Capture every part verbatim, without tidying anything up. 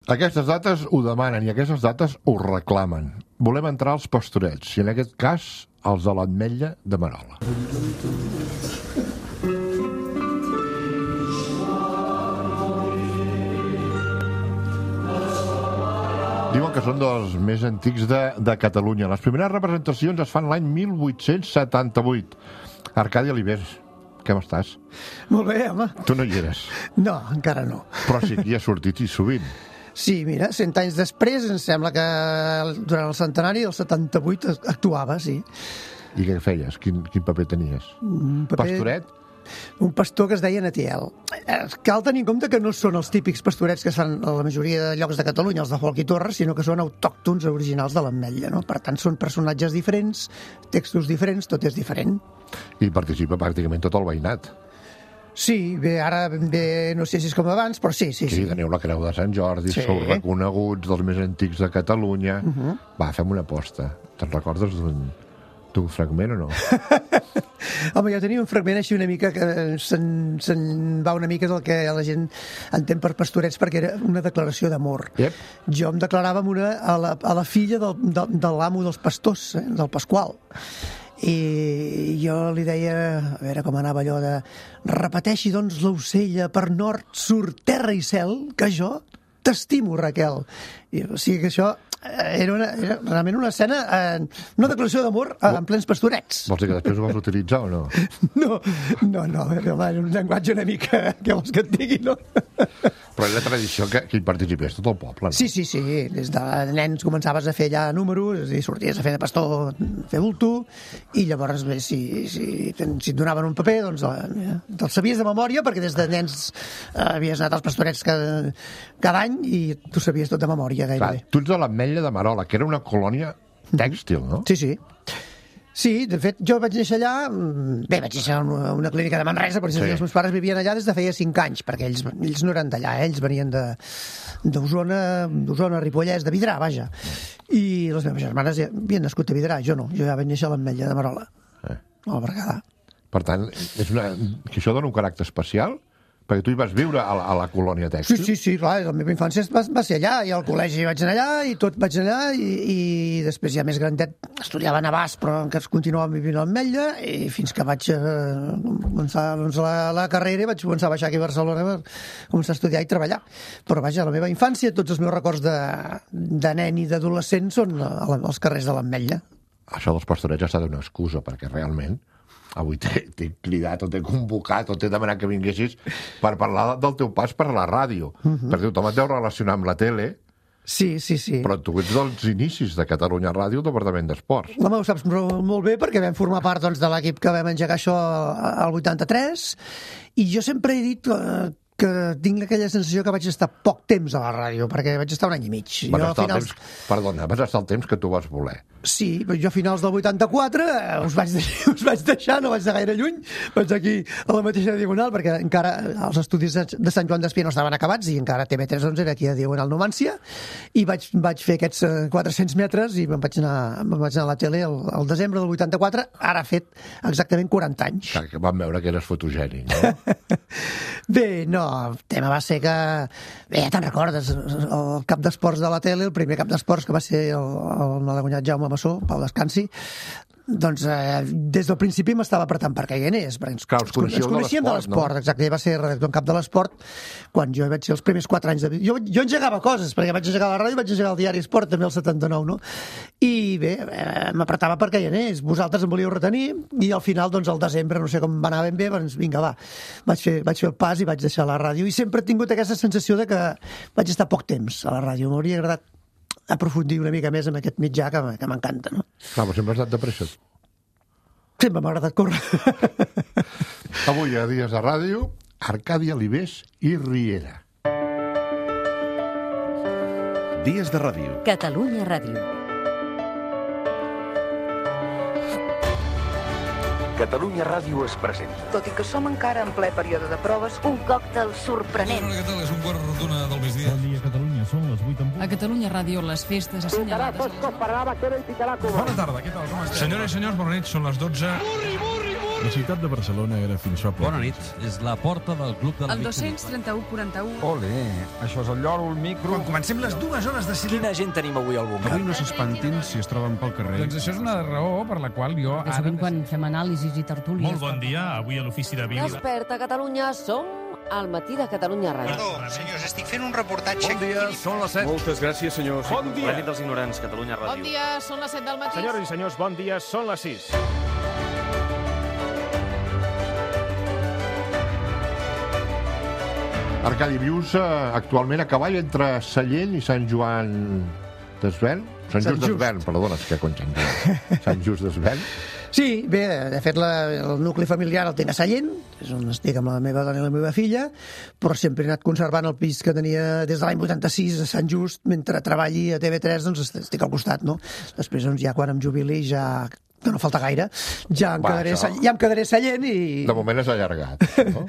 Aquestes dates ho demanen i aquestes dates ho reclamen. Volem entrar als Pastorets, i en aquest cas els de l'Ametlla de Merola. Diuen que són dels més antics de, de Catalunya. Les primeres representacions es fan l'any mil vuit-cents setanta-vuit. Arcadi Alibés, com estàs? Molt bé, home. Tu no hi eres. No, encara no. Però sí que hi ha sortit i sovint. Sí, mira, cent anys després, em sembla que durant el centenari del setanta-vuit actuava, sí. I què feies? Quin, quin paper tenies? Un paper... Pastoret? Un pastor que es deia Natiel. Cal tenir en compte que no són els típics pastorets que es fan a la majoria de llocs de Catalunya, els de Folc i Torres, sinó que són autòctons originals de l'Ametlla, no? Per tant, són personatges diferents, textos diferents, tot és diferent. I participa pràcticament tot el veïnat. Sí, bé, ara bé, no sé si és com abans, però sí, sí, sí. Sí, teniu la Creu de Sant Jordi, sí. Sou reconeguts dels més antics de Catalunya. Uh -huh. Va, fem una aposta. Te'n recordes d'un... d'un fragment o no? Home, jo tenia un fragment així una mica que se'n se va una mica del que la gent entén per pastorets, perquè era una declaració d'amor. Yep. Jo em declarava amb una, a, la, a la filla del, de, de l'amo dels pastors, eh, del Pasqual. I jo li deia, a veure com anava allò de repeteixi doncs l'ocella per nord, sur, terra i cel, que jo t'estimo, Raquel. I, o sigui que això era, una, era realment una escena, eh, una declaració d'amor eh, en plens pastorets. Vols dir que després ho vols utilitzar o no? No, no, no, era un llenguatge una mica, què vols que et digui, no? Però és la tradició que, que hi participés tot el poble, no? Sí, sí, sí, des de nens començaves a fer ja números i sorties a fer de pastor, fer bulto, i llavors, bé, si, si, si et donaven un paper, doncs te'l sabies de memòria, perquè des de nens eh, havies anat als pastorets cada, cada any i tu sabies tot de memòria, gairebé. Clar, tu ets de l'Ametlla de Merola, que era una colònia tèxtil, no? Sí, sí. Sí, de fet, jo vaig néixer allà, bé, vaig néixer a una, una clínica de Manresa, per exemple, sí. Els meus pares vivien allà des de feia cinc anys, perquè ells, ells no eren d'allà, eh? Ells venien d'Osona, d'Osona, Ripollès, de Vidrà, vaja. I les meves germanes ja havien nascut a Vidrà, jo no, jo ja vaig néixer a l'Ametlla de Merola, eh. al Berguedà. Per tant, és una, que això dona un caràcter especial? Perquè tu hi vas viure a la, a la colònia tèxtil. Sí, sí, sí, clar, la meva infància va, va ser allà, i al col·legi vaig anar allà, i tot vaig anar allà, i, i després ja més grandet estudiava a Navàs, però encara continuava vivint a l'Ametlla, i fins que vaig eh, començar doncs, la, la carrera, vaig començar a baixar aquí a Barcelona per començar a estudiar i treballar. Però vaja, la meva infància, tots els meus records de, de nen i d'adolescent són als carrers de l'Ametlla. Això dels pastorets ha estat una excusa, perquè realment avui t'he cridat o t'he convocat o t'he demanat que vinguessis per parlar del teu pas per la ràdio. Uh -huh. Perquè tothom et deu relacionar amb la tele. Sí, sí, sí. Però tu ets dels inicis de Catalunya Ràdio, el Departament d'Esports. Home, ho saps molt bé, perquè vam formar part doncs, de l'equip que vam engegar això al vuitanta-tres, i jo sempre he dit eh, que tinc aquella sensació que vaig estar poc temps a la ràdio, perquè vaig estar un any i mig. Vas jo, estar finals... el temps, perdona, vas estar el temps que tu vas voler. Sí, però jo a finals del vuitanta-quatre eh, us, vaig deixar, us vaig deixar, no vaig de gaire lluny, vaig aquí a la mateixa Diagonal, perquè encara els estudis de Sant Joan d'Espí no estaven acabats i encara T V tres onze era aquí a Diagonal Numància, i vaig, vaig fer aquests quatre-cents metres i me'n vaig anar, me'n vaig anar a la tele el, el desembre del vuitanta-quatre, ara ha fet exactament quaranta anys. Clar, que vam veure que eres fotogènic, no? Bé, no, el tema va ser que... Bé, ja te'n recordes, el cap d'esports de la tele, el primer cap d'esports que va ser el, el malaguanyat Jaume Massó, Pau Descansi, doncs eh, des del principi m'estava apretant perquè hi anés, perquè ens, Clar, us ens coneixíem de l'esport, no? Exacte, ell va ser redactor en cap de l'esport quan jo vaig ser els primers quatre anys de vida. Jo, jo engegava coses, perquè vaig engegar la ràdio i vaig engegar el diari Esport també el setanta-nou, no? I bé, eh, m'apretava perquè hi anés, vosaltres em volíeu retenir, i al final, doncs, al desembre, no sé com va anar ben bé, doncs vinga, va, vaig fer, vaig fer el pas i vaig deixar la ràdio, i sempre he tingut aquesta sensació de que vaig estar poc temps a la ràdio, m'hauria agradat aprofundir una mica més en aquest mitjà que, que m'encanta, no? Clar, però sempre has anat de pressa. Sempre m'ha agradat córrer. Avui a Dies de Ràdio, Arcadi Alibés i Riera. Dies de Ràdio. Catalunya Ràdio. Catalunya Ràdio es presenta. Tot i que som encara en ple període de proves, un còctel sorprenent. Bona, què tal? És un quart d'una del migdia. Bon dia, Catalunya. Són les vuit en punt. A Catalunya Ràdio, les festes assenyalades... Bona tarda, què tal? Com esteu? Senyores i senyors, bona nit. Són les dotze. Burri, burri, burri! La ciutat de Barcelona era fins fa poc. Bona nit. És la porta del Club de la El dos-cents trenta-u quaranta-u. Ole, això és el lloro, el micro... Quan comencem les dues hores de cinema... Quina gent tenim avui al bunker? Avui no s'espantin si es troben pel carrer. Doncs això és una raó per la qual jo Que sovint quan fem anàlisis i tertúlies... Molt bon dia, avui a l'ofici de Vic. Desperta, Catalunya, som al matí de Catalunya Ràdio. Perdó, senyors, estic fent un reportatge... Bon dia, són les set. Moltes gràcies, senyors. Bon dia. La nit dels ignorants, Catalunya Ràdio. Bon dia, són les set del matí. Senyores i senyors, bon dia, són les sis. Arcadi, vius uh, actualment a cavall entre Sallent i Sant Joan d'Esvern? Sant Just d'Esvern, perdona, és que con Sant Joan. Sant Just d'Esvern. Sí, bé, de fet la, el nucli familiar el tinc a Sallent, és on estic amb la meva dona i la meva filla, però sempre he anat conservant el pis que tenia des de l'any vuitanta-sis a Sant Just, mentre treballi a T V tres, doncs estic al costat, no? Després, doncs, ja quan em jubili, ja que no falta gaire, ja em, Va, quedaré, això... ja em quedaré Sallent i... De moment és allargat, no?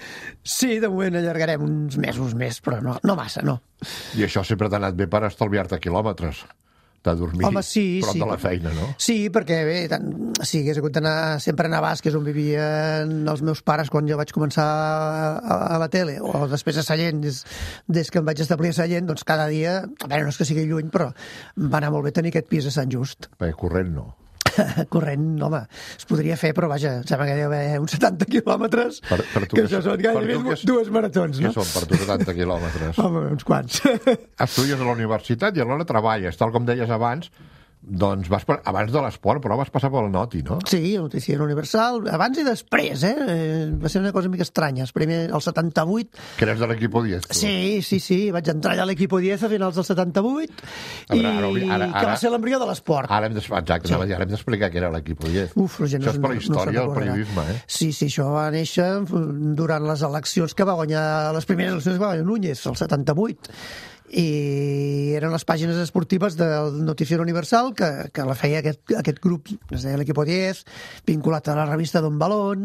Sí, de moment allargarem uns mesos més, però no, no massa, no. I això sempre t'ha anat bé per estalviar-te quilòmetres de dormir Home, sí, prop sí, de la feina, no? Sí, perquè bé, tant, si hagués hagut d'anar sempre a Navàs, que és on vivien els meus pares quan jo vaig començar a, a la tele, o després a Sallent, des, des que em vaig establir a Sallent, doncs cada dia, a veure, no és que sigui lluny, però em va anar molt bé tenir aquest pis a Sant Just. Bé, corrent no. Corrent, home, es podria fer, però vaja, em sembla que hi ha d'haver uns setanta quilòmetres, per, per tu que, que això són gairebé és, dues maratons, no? Què són per tu setanta quilòmetres? Home, uns quants. Estudies a la universitat i alhora treballes, tal com deies abans, doncs vas per, abans de l'esport, però vas passar pel Noti, no? Sí, el Noticiero Universal, abans i després, eh? Va ser una cosa mica estranya. Primer, el setanta-vuit... Que eres de l'Equipo diez, tu? Sí, sí, sí, vaig entrar allà a l'Equipo diez a finals del setanta-vuit i ara, ara, ara, ara, que va ser l'embrió de l'esport. Ara hem d'explicar sí. D'explicar què era l'Equipo diez. Uf, la gent això és per no, la història no del periodisme, eh? Sí, sí, això va néixer durant les eleccions que va guanyar, les primeres eleccions que va guanyar Núñez, el setanta-vuit. I eren les pàgines esportives del Noticiero Universal que, que la feia aquest, aquest grup, es deia l'Equipo diez, vinculat a la revista Don Balón,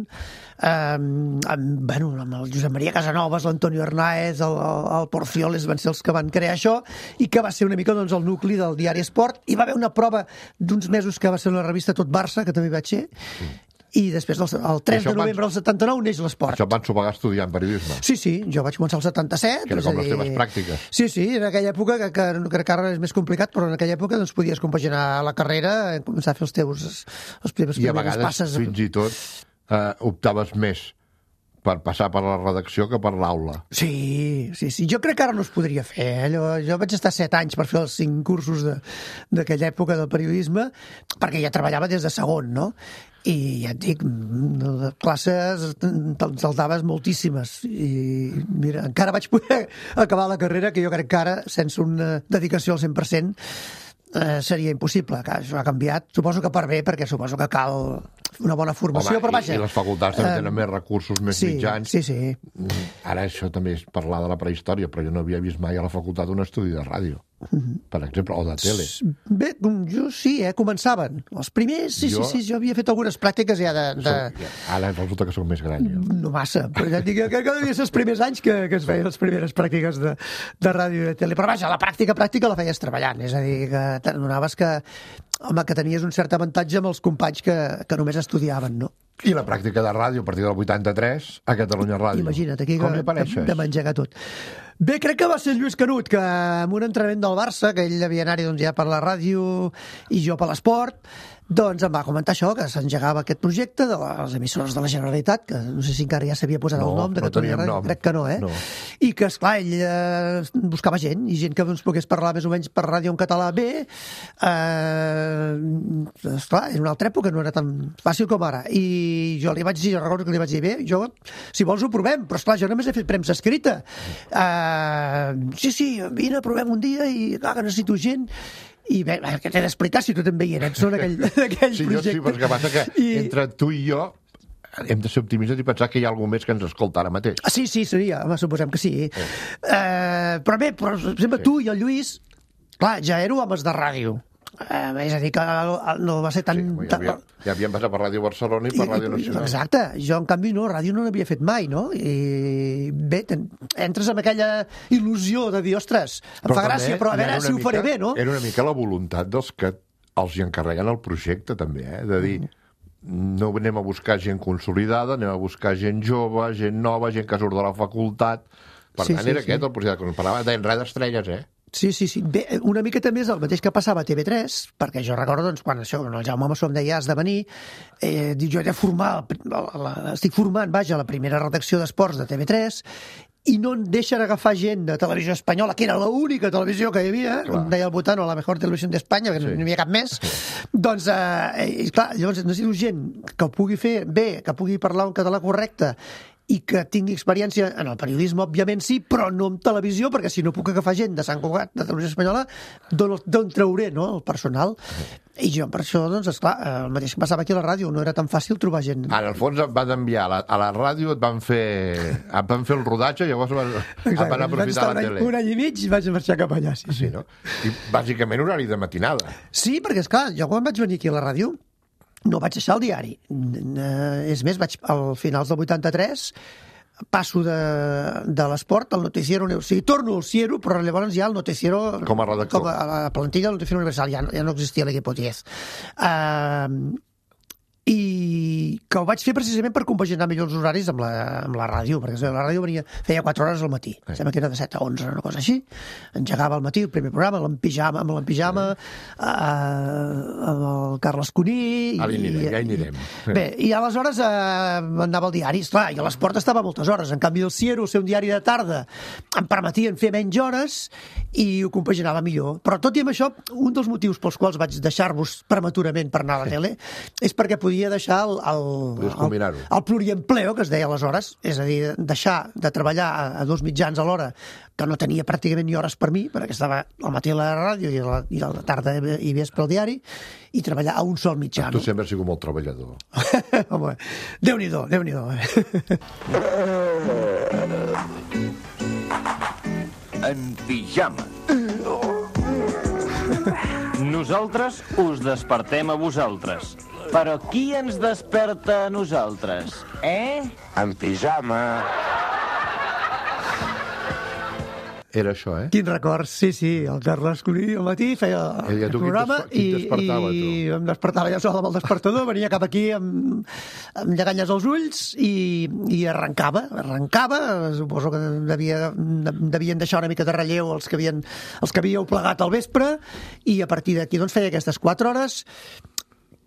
eh, amb, bueno, amb el Josep Maria Casanovas, l'Antonio Hernáez, el, el, el Porcioles van ser els que van crear això, i que va ser una mica doncs, el nucli del diari Esport. Hi va haver una prova d'uns mesos que va ser una revista Tot Barça, que també vaig ser, mm. I després, el tres de novembre del setanta-nou, neix l'esport. Això et van ensopegar estudiant periodisme? Sí, sí, jo vaig començar el setanta-set. Que era com les teves pràctiques. Sí, sí, en aquella època, que, que, que encara és més complicat, però en aquella època doncs, podies compaginar la carrera, començar a fer els teus els primers I a vegades, passes. Fins i tot, eh, optaves més per passar per la redacció que per l'aula. Sí, sí, sí. Jo crec que ara no es podria fer. Eh? Jo, jo vaig estar set anys per fer els cinc cursos d'aquella època del periodisme, perquè ja treballava des de segon, no? I ja et dic, de classes te'n saltaves moltíssimes. I mira, encara vaig poder acabar la carrera, que jo crec que ara, sense una dedicació al cent per cent, eh, seria impossible. Això ha canviat. Suposo que per bé, perquè suposo que cal una bona formació, Home, però vaja... I, i les facultats també tenen uh, més recursos, més sí, mitjans. Sí, sí. Ara això també és parlar de la prehistòria, però jo no havia vist mai a la facultat un estudi de ràdio. Mm-hmm. Per exemple, o de tele. Bé, jo sí, eh, començaven. Els primers, sí, jo... sí, sí, jo havia fet algunes pràctiques ja de... de... Som, ara resulta que soc més gran, jo. No massa, però ja et dic que devia ser els primers anys que, que es feien les primeres pràctiques de, de ràdio i de tele. Però vaja, la pràctica pràctica la feies treballant, és a dir, que t'adonaves que, home, que tenies un cert avantatge amb els companys que, que només estudiaven, no? I la pràctica de ràdio a partir del vuitanta-tres a Catalunya Ràdio. Imagina't, aquí com que, de, de m'engegar tot. Bé, crec que va ser Lluís Canut, que en un entrenament del Barça, que ell havia anat doncs, ja per la ràdio i jo per l'esport, doncs em va comentar això, que s'engegava aquest projecte de les emissores de la Generalitat, que no sé si encara ja s'havia posat no, el nom de no Catalunya Ràdio, nom. Crec que no, eh? No. I que, esclar, ell eh, buscava gent, i gent que doncs, pogués parlar més o menys per ràdio en català bé. Eh, esclar, en una altra època no era tan fàcil com ara. I jo li vaig dir, jo recordo que li vaig dir, bé, jo, si vols ho provem, però esclar, jo només he fet premsa escrita. Eh, sí, sí, vine, provem un dia i clar, que necessito gent. I bé, què t'he d'explicar si tu també hi eres, són aquell, aquell sí, projecte. Sí, però és que passa que I... entre tu i jo hem de ser optimistes i pensar que hi ha algú més que ens escolta ara mateix. Ah, sí, sí, seria, home, suposem que sí. Eh. Eh, però bé, per exemple, sí. Tu i el Lluís, clar, ja éreu homes de ràdio. Eh, és a dir, que no va ser tan... Sí, ja, havia, ja havíem passat per Ràdio Barcelona i per I, Ràdio Nacional. Exacte, jo en canvi no, ràdio no n'havia fet mai, no? I bé, ten, entres amb aquella il·lusió de dir, ostres, em però fa gràcia, però a veure si ho faré bé, no? Era una mica la voluntat dels que els hi encarreguen el projecte, també, eh? De dir, no anem a buscar gent consolidada, anem a buscar gent jove, gent nova, gent que surt de la facultat. Per Sí, tant, sí, era sí. aquest el projecte que ens parlava, deien res d'estrelles, eh? Sí, sí, sí. Bé, una mica també és el mateix que passava a T V tres, perquè jo recordo, doncs, quan això, quan el Jaume Massó em deia has de venir, eh, dic, jo he de formar, la, la, estic formant, vaja, la primera redacció d'esports de T V tres, i no en deixen agafar gent de televisió espanyola, que era l'única televisió que hi havia, com deia el Botano, la mejor televisió d'Espanya, que sí. no hi havia cap més. Doncs, eh, i, clar, llavors necessito gent que ho pugui fer bé, que pugui parlar un català correcte, i que tingui experiència en el periodisme, òbviament sí, però no en televisió, perquè si no puc agafar gent de Sant Cugat, de televisió espanyola, d'on trauré, no?, el personal. I jo, per això, doncs, esclar, el mateix que passava aquí a la ràdio, no era tan fàcil trobar gent. En el fons et van enviar a la, a la ràdio, et van fer, et van fer el rodatge, llavors van, et van aprofitar la tele. Un any i mig i vaig marxar cap allà, sí, sí. Sí, no? I bàsicament horari de matinada. Sí, perquè, esclar, jo quan vaig venir aquí a la ràdio, no vaig deixar el diari. És més, vaig al finals del vuitanta-tres, passo de, de l'esport al noticiero, o sigui, torno al Ciero, però llavors ja el noticiero... Com a redactor. Com a, a la plantilla del noticiero universal, ja, ja no existia l'equip diez. Uh, i que ho vaig fer precisament per compaginar millor els horaris amb la, amb la ràdio, perquè la ràdio venia, feia quatre hores al matí, eh. sembla que era de set a onze, una cosa així, engegava al matí el primer programa, l'empijama, amb l'empijama, eh. amb el Carles Cuní... Ara hi anirem, ja hi anirem. Bé, i aleshores eh, anava al diari, esclar, i a l'esport estava moltes hores, en canvi el Ciero, el seu diari de tarda, em permetien fer menys hores i ho compaginava millor. Però tot i amb això, un dels motius pels quals vaig deixar-vos prematurament per anar a la tele és perquè podia deixar el, el, el, el pluriempleo, que es deia aleshores, és a dir, deixar de treballar a, a dos mitjans a l'hora, que no tenia pràcticament ni hores per mi, perquè estava al matí a la ràdio i a la, i a la tarda i vespre al diari, i treballar a un sol mitjà. Tu sempre has sigut molt treballador. Home, Déu-n'hi-do, Déu-n'hi-do. En pijama. Nosaltres us despertem a vosaltres. Però qui ens desperta a nosaltres, eh? En pijama. Era això, eh? Quin record, sí, sí, el Carles Cuní al matí feia el, el programa qui et despertava, i, tu? i em despertava ja sol amb el despertador, venia cap aquí amb, amb lleganyes als ulls i, i arrencava, arrencava, suposo que devia, devien deixar una mica de relleu els que, havien, els que havíeu plegat al vespre, i a partir d'aquí doncs feia aquestes quatre hores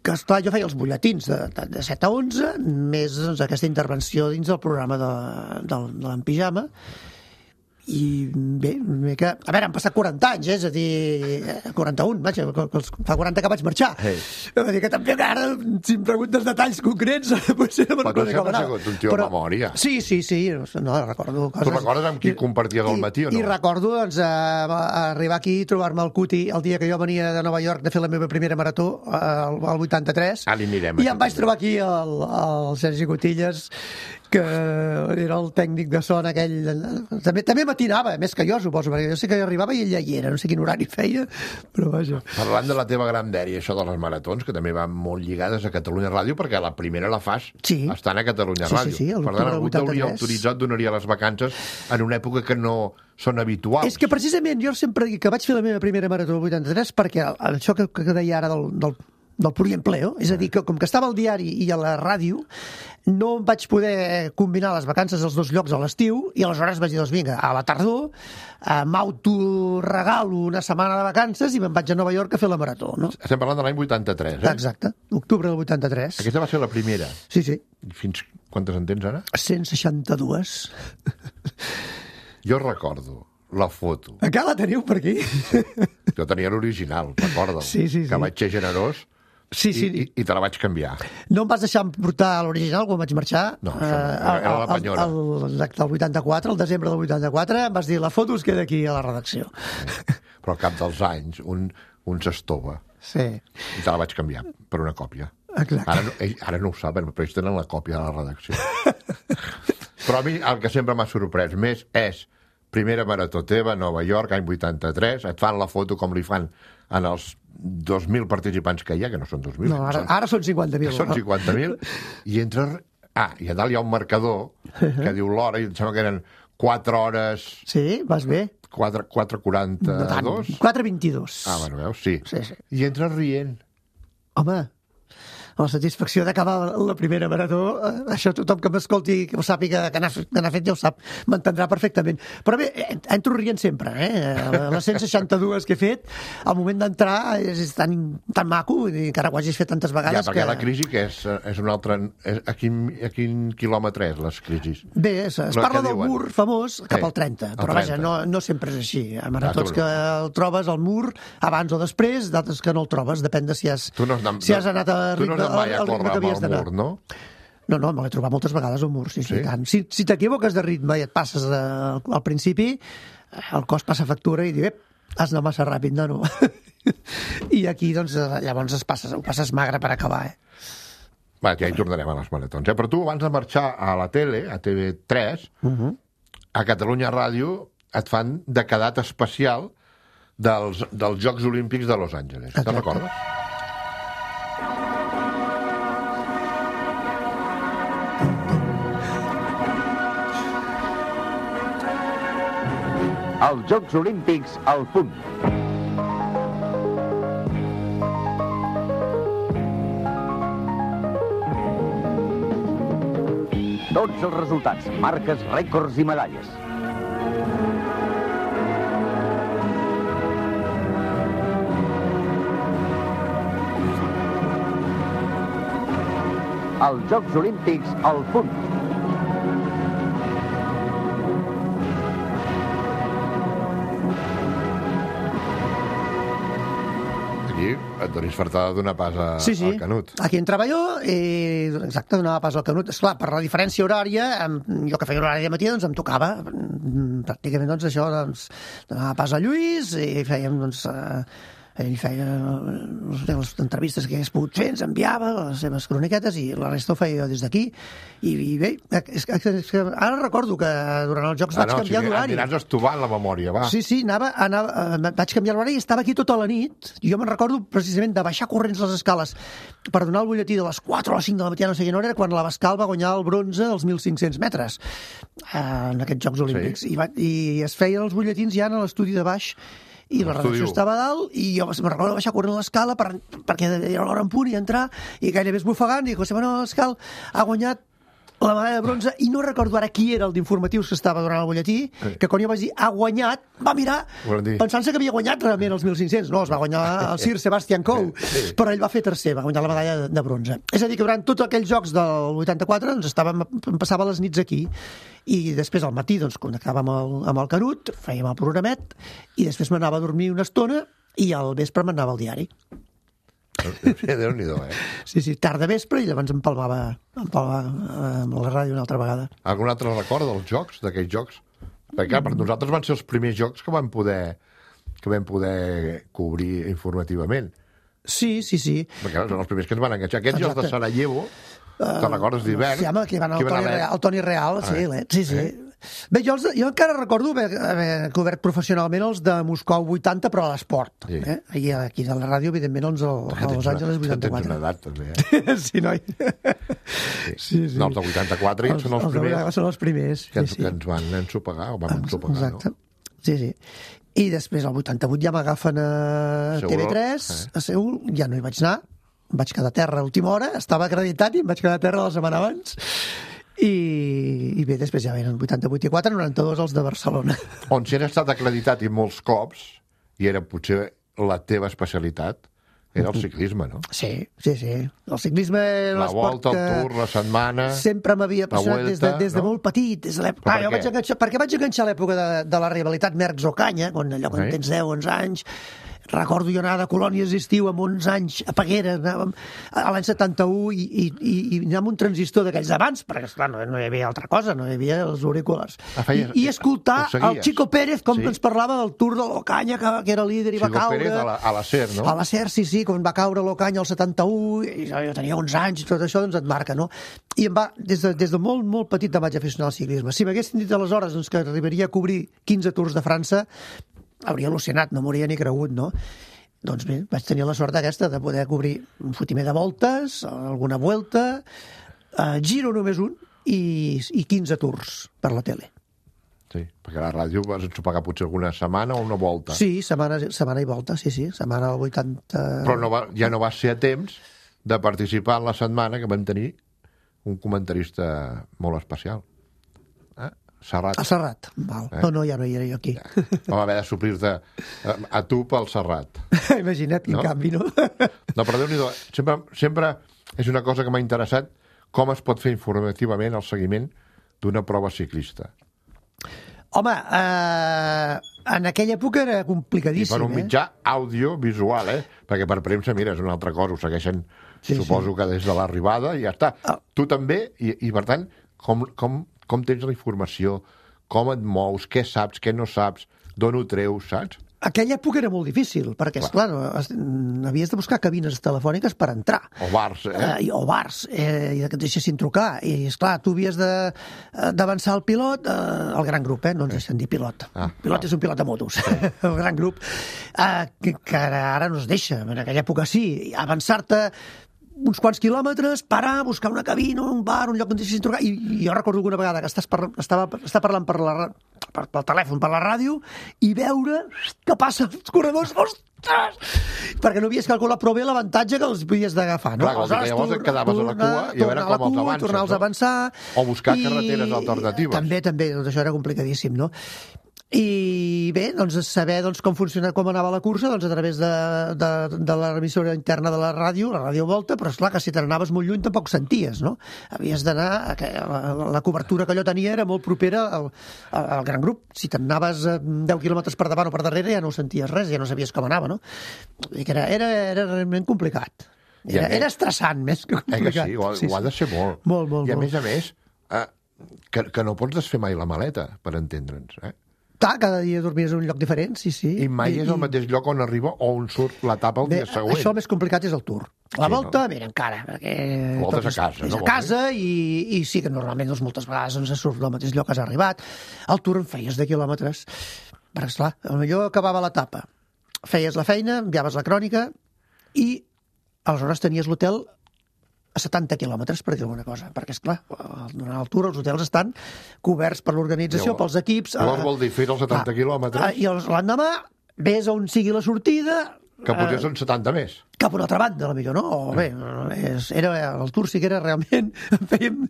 que, esclar, jo feia els butlletins de, de, de set a onze, més doncs, aquesta intervenció dins del programa de, de, de l'Empijama. I bé, que, a veure, han passat quaranta anys, eh? És a dir, quaranta-un, vaja, fa quaranta que vaig marxar. Hey. És a dir, que també ara, si em preguntes detalls concrets, potser no me'n recordo com anar. Però tu sempre has sigut un tio de memòria. Sí, sí, sí, no, recordo coses. Tu recordes amb qui comparties el matí o no? I recordo, doncs, arribar aquí i trobar-me al Cuti el dia que jo venia de Nova York de fer la meva primera marató, al vuitanta-tres, ah, anirem, i em vaig trobar aquí el, el Sergi Cotillas, que era el tècnic de son aquell... També, també matinava, més que jo, suposo, perquè jo sé que arribava i ell ja hi era, no sé quin horari feia, però vaja. Parlant de la teva gran dèria, això de les maratons, que també van molt lligades a Catalunya Ràdio, perquè la primera la fas sí. estant a Catalunya sí, Ràdio. Sí, sí, per tant, algú t'hauria autoritzat, donaria les vacances en una època que no són habituals. És que precisament jo sempre dic que vaig fer la meva primera marató al vuitanta-tres perquè això que, que deia ara del, del del pluriempleo, és a dir, que com que estava al diari i a la ràdio, no vaig poder combinar les vacances als dos llocs a l'estiu, i aleshores vaig dir, doncs vinga, a la tardor eh, m'autoregalo una setmana de vacances i me'n vaig a Nova York a fer la marató, no? Estem parlant de l'any vuitanta-tres, eh? Exacte, octubre del vuitanta-tres. Aquesta va ser la primera? Sí, sí. Fins quantes en tens ara? cent seixanta-dues. Jo recordo la foto. Encara la teniu per aquí? Jo tenia l'original, recordo. Sí, sí, sí. Que vaig ser generós. Sí, sí. I, i, i te la vaig canviar. No em vas deixar portar l'original quan vaig marxar. No, això no, era la penyora. El, el, el vuitanta-quatre, el desembre del vuitanta-quatre, em vas dir, la foto es queda aquí a la redacció. Però al cap dels anys, un, un s'estova. Sí. I te la vaig canviar per una còpia. Exacte. Ara, ell, ara no ho saben, però ells tenen la còpia de la redacció. Però a mi el que sempre m'ha sorprès més és primera marató teva, Nova York, any vuitanta-tres, et fan la foto com li fan en els dos mil participants que hi ha, que no són dos mil. No, ara, són, ara són cinquanta mil. Són cinquanta mil, i entres... Ah, i a dalt hi ha un marcador que diu l'hora, i em sembla que eren quatre hores... Sí, vas bé. quatre quaranta-dos? quatre vint-i-dos. Ah, bueno, veus, sí. Sí, sí. I entres rient. Home, la satisfacció d'acabar la primera marató, eh, això tothom que m'escolti, que ho sàpiga, que n'ha que n'ha fet ja ho sap, m'entendrà perfectament. Però bé, entro rient sempre, eh? Les cent seixanta-dues que he fet, al moment d'entrar és, és tan, tan maco, i encara ho hagis fet tantes vegades. Ja, perquè que... la crisi que és, és un altre... És, a, quin, a quin quilòmetre és, les crisis? Bé, es, es parla del diuen? mur famós cap Sí, al trenta, al però trenta. vaja, no, no sempre és així. Hi ha maratons Ah, tu que el trobes al mur abans o després, d'altres que no el trobes, depèn de si has, Tu no has anat, si has anat a tu no ritme, has anat mai a al ritme córrer que amb havies el d'anar. mur, no? No, no, me l'he trobat moltes vegades al mur, sí, sí, Sí? sí. Tant. Si, si t'equivoques de ritme i et passes de, al principi, el cos passa factura i diu, ep, has anat massa ràpid, nano. I aquí, doncs, llavors es passes, ho passes magre per acabar, eh? Va, ja hi tornarem a les maratons. Eh? Però tu, abans de marxar a la tele, a T V tres, Uh -huh. a Catalunya Ràdio et fan de cadat especial dels, dels Jocs Olímpics de Los Angeles. Te'n recordes? Els Jocs Olímpics al punt. Tots els resultats, marques, rècords i medalles. Els Jocs Olímpics al punt. Aquí et donis fartada donar pas a, Sí, sí. al Canut. Aquí entrava jo i, exacte, donava pas al Canut. Esclar, per la diferència horària, em, jo que feia horari de matí, doncs em tocava. Mm, Pràcticament, doncs, això, doncs, donava pas a Lluís i fèiem, doncs, eh, ell feia les, les entrevistes que hagués pogut fer, ens enviava les seves croniquetes i la resta ho feia jo des d'aquí. I, i bé, és que, és que ara recordo que durant els Jocs Ah, vaig no, canviar o sigui, d'horari. aniràs estovant la memòria, va. Sí, sí, anava, anava, eh, vaig canviar l'horari i estava aquí tota la nit. I jo me'n recordo precisament de baixar corrents les escales per donar el butlletí de les quatre o les cinc de la matina, no sé quina hora, era quan l'Abascal va guanyar el bronze als mil cinc-cents metres eh, en aquests Jocs Olímpics. Sí. I, va, I es feien els butlletins ja en l'estudi de baix i la L'estudi redacció u. estava a dalt i jo me'n recordo de baixar corrent l'escala per, perquè era l'hora en punt i entrar i gairebé esbufegant i José Manuel Abascal ha guanyat la medalla de bronze i no recordo ara qui era el d'informatius que estava donant el butlletí, que quan jo vaig dir ha guanyat, va mirar pensant-se que havia guanyat realment els mil cinc-cents. No, els va guanyar el Sir Sebastian Coe, Sí. però ell va fer tercer, va guanyar la medalla de, de bronze. És a dir, que durant tots aquells jocs del vuitanta-quatre doncs, estàvem, em passava les nits aquí i després al matí doncs, connectàvem amb el, amb el Canut, fèiem el programet i després m'anava a dormir una estona i al vespre m'anava al diari. Déu-n'hi-do, eh? Sí, sí, tarda vespre i llavors em palmava, em palmava amb la ràdio una altra vegada. Algun altre record dels jocs, d'aquells jocs? Perquè, clar, per nosaltres van ser els primers jocs que vam poder, que vam poder cobrir informativament. Sí, sí, sí. Perquè són els primers que ens van enganxar. Aquests jocs de Exacte. Sarajevo, te'n recordes d'hivern? Sí, home, que van al Que van Toni, a Real, al Toni Real, sí, Ah, sí, sí. eh? Bé, jo, els, jo encara recordo haver, haver cobert professionalment els de Moscou vuitanta, però a l'esport. Sí. Eh? Aquí, aquí a la ràdio, evidentment, els al, a Los Angeles Tens vuitanta-quatre. una edat, també, eh? Sí, noi. Sí, sí. No, els de vuitanta-quatre Els- són els els de primers vuitanta-quatre són els primers, que, ens, sí, sí. que ens van ensopegar, o vam ensopegar, Exacte. no? Sí, sí. I després, al vuitanta-vuit, ja m'agafen a Seul, T V tres, eh? a Seul, ja no hi vaig anar, vaig quedar a terra a última hora, estava acreditat i em vaig quedar a terra la setmana abans. I, i bé, després ja venen vuitanta-vuit i quatre, noranta-dos els de Barcelona. On si has estat acreditat i molts cops, i era potser la teva especialitat, era el ciclisme, no? Sí, sí, sí. El ciclisme era La l'esport volta, el que tour, la setmana... sempre m'havia la apassionat des de, Vuelta, des de no? molt petit. Des de l'època... Però Ah, per jo què? vaig enganxar, perquè vaig enganxar a l'època de, de la rivalitat Merckx-Ocaña, quan allò quan Sí. tens deu, onze anys. Recordo jo anar de colònies d'estiu amb onze anys a Peguera, anàvem a l'any setanta-u i, i, i, i anar amb un transistor d'aquells d'abans, perquè, esclar, no, no hi havia altra cosa, no hi havia els auriculars. Ah, feies- I, I escoltar ho seguies? el Chico Pérez, com Sí. sí. ens parlava del Tour de l'Ocaña, que, que era líder i va Chico caure... Pérez a la, a la SER, no? A la SER, sí, sí, quan va caure l'Ocaña al setanta-u, i jo tenia onze anys, i tot això doncs et marca, no? I em va, des de, des de molt, molt petit em vaig aficionar al ciclisme. Si m'haguessin dit aleshores doncs, que arribaria a cobrir quinze Tours de França, hauria al·lucinat, no m'hauria ni cregut, no? Doncs bé, vaig tenir la sort aquesta de poder cobrir un fotimer de voltes, alguna vuelta, eh, giro només un, i, i quinze tours per la tele. Sí, perquè a la ràdio vas ensopegar potser alguna setmana o una volta. Sí, setmana, setmana i volta, sí, sí, setmana al vuitanta... Però no va, ja no vas ser a temps de participar en la setmana que vam tenir un comentarista molt especial. Eh? Serrat. A Serrat. Val. Eh? No, no, ja no hi era jo aquí. Ja. Vam haver de suplir-te a, a tu pel Serrat. Imagina't, quin no? canvi, no? No, però Déu-n'hi-do, sempre, sempre és una cosa que m'ha interessat com es pot fer informativament el seguiment d'una prova ciclista. Home, eh, en aquella època era complicadíssim. I per un mitjà eh? audiovisual, eh? Perquè per premsa, mira, és una altra cosa, ho segueixen, sí, suposo sí. que des de l'arribada, i ja està. Oh. Tu també, i, i per tant, com, com, com tens la informació, com et mous, què saps, què no saps, d'on ho treus, saps? Aquella època era molt difícil, perquè, esclar, no, havies de buscar cabines telefòniques per entrar. O bars, eh? eh o bars, eh, i que et deixessin trucar. I, esclar, tu havies d'avançar el pilot, eh, el gran grup, eh? No ens deixen dir pilot. Ah, pilot ah. és un pilot de motos. Sí. El gran grup, eh, que, que ara no es deixa. En aquella època sí. Avançar-te uns quants quilòmetres, parar, buscar una cabina, un bar, un lloc on deixessin trucar. I, i jo recordo alguna vegada que estàs par estava, estava parlant per la, per, pel telèfon, per la ràdio, i veure què passa els corredors. Ostres! Perquè no havies calculat prou bé l'avantatge que els podies d'agafar. No? Clar, que llavors et quedaves a la cua i a veure com els avances. Tornar-los a avançar. O buscar i... carreteres alternatives. També, també, doncs això era complicadíssim, no? I bé, doncs saber doncs, com funciona, com anava la cursa, doncs a través de, de, de la emissora interna de la ràdio, la Ràdio Volta, però esclar que si te n'anaves molt lluny tampoc senties, no? Havies d'anar, la, la cobertura que allò tenia era molt propera al, al gran grup. Si te n'anaves deu quilòmetres per davant o per darrere ja no senties res, ja no sabies com anava, no? I que era, era, era realment complicat. Era, era estressant més que complicat. Eh que sí, ho, sí, ho ha de ser molt. Molt, molt, I a molt. més a més, eh, que, que no pots desfer mai la maleta, per entendre'ns, eh? Clar, cada dia dormies en un lloc diferent, sí, sí. I mai I, és el mateix lloc on arriba o on surt l'etapa el bé, dia següent. Això el més complicat és el Tour. La sí, volta, no? mira, encara. Perquè la volta és a casa, és no? És a casa i, i sí que normalment doncs, moltes vegades doncs, surt del mateix lloc que has arribat. El Tour en feies de quilòmetres. Perquè, esclar, potser acabava l'etapa. Feies la feina, enviaves la crònica i aleshores tenies l'hotel a setanta quilòmetres, per dir alguna cosa. Perquè, esclar, durant el Tour els hotels estan coberts per l'organització, pels equips. Llavors vol dir fer els setanta quilòmetres. I l'endemà ves on sigui la sortida. Que potser són setanta més. Cap a una altra banda, potser, no? O bé, era, el Tour sí que era realment... Fèiem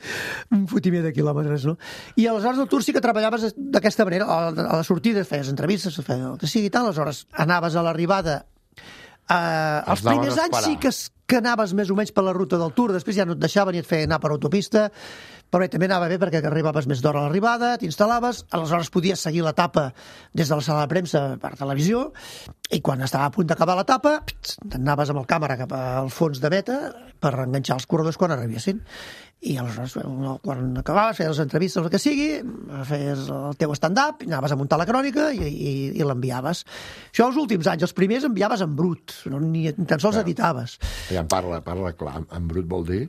un fotimer de quilòmetres, no? I aleshores el Tour sí que treballaves d'aquesta manera. A la sortida feies entrevistes, feies el que sigui i tal, aleshores anaves a l'arribada. Uh, els primers anys sí que, que anaves més o menys per la ruta del Tour, després ja no et deixaven i et feien anar per autopista, però bé, també anava bé perquè arribaves més d'hora a l'arribada, t'instal·laves, aleshores podies seguir l'etapa des de la sala de premsa per televisió, i quan estava a punt d'acabar l'etapa, t'anaves amb el càmera cap al fons de meta per enganxar els corredors quan arribessin. I aleshores, quan acabaves, feies les entrevistes, el que sigui, feies el teu stand-up, anaves a muntar la crònica i, i, i l'enviaves. Això els últims anys, els primers enviaves en brut, no, ni, ni tan sols editaves. Ja en parla, parla clar, en brut vol dir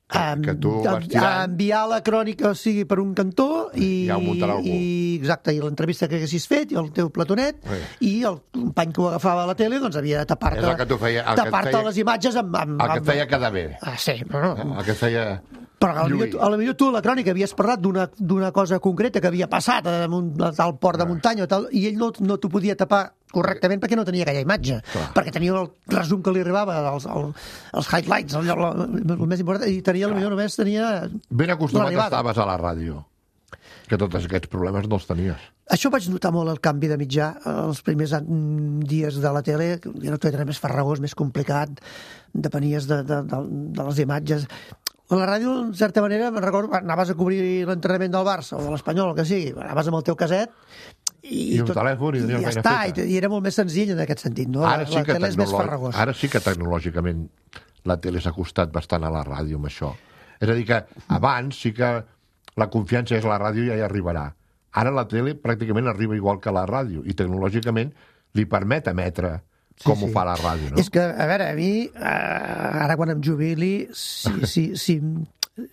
que, que tu vas tirant... Enviar la crònica, o sigui, per un cantó i, ja ho muntarà algú. I, exacte, i l'entrevista que haguessis fet i el teu platonet sí. I el company que ho agafava a la tele doncs havia de tapar-te tapar feia... les imatges amb... amb el que et feia quedar bé. Ah, sí, però no. El que et feia... Però a la millor tu a la crònica havies parlat d'una cosa concreta que havia passat a, un, a tal port de muntanya o tal, i ell no, no t'ho podia tapar correctament perquè no tenia aquella imatge. Clar. Perquè tenia el resum que li arribava, els, els, els highlights, el, el, el més important, i tenia, potser només tenia... Ben acostumat estaves a la ràdio, que tots aquests problemes no els tenies. Això vaig notar molt el canvi de mitjà els primers dies de la tele, ja no tot era més farragós, més complicat, depenies de, de, de, de les imatges. A la ràdio, en certa manera, me'n recordo, anaves a cobrir l'entrenament del Barça o de l'Espanyol, el que sigui, anaves amb el teu caset i, I un tot, telèfon i, i ja està, feta. I, i era molt més senzill en aquest sentit, no? Ara sí, la, que la tele és més farragós. Ara sí que tecnològicament la tele s'ha costat bastant a la ràdio amb això. És a dir que abans sí que la confiança és la ràdio i ja hi arribarà. Ara la tele pràcticament arriba igual que la ràdio i tecnològicament li permet emetre com sí, ho sí. fa la ràdio, no? És que, a veure, a mi, eh, ara quan em jubili, si, si, si,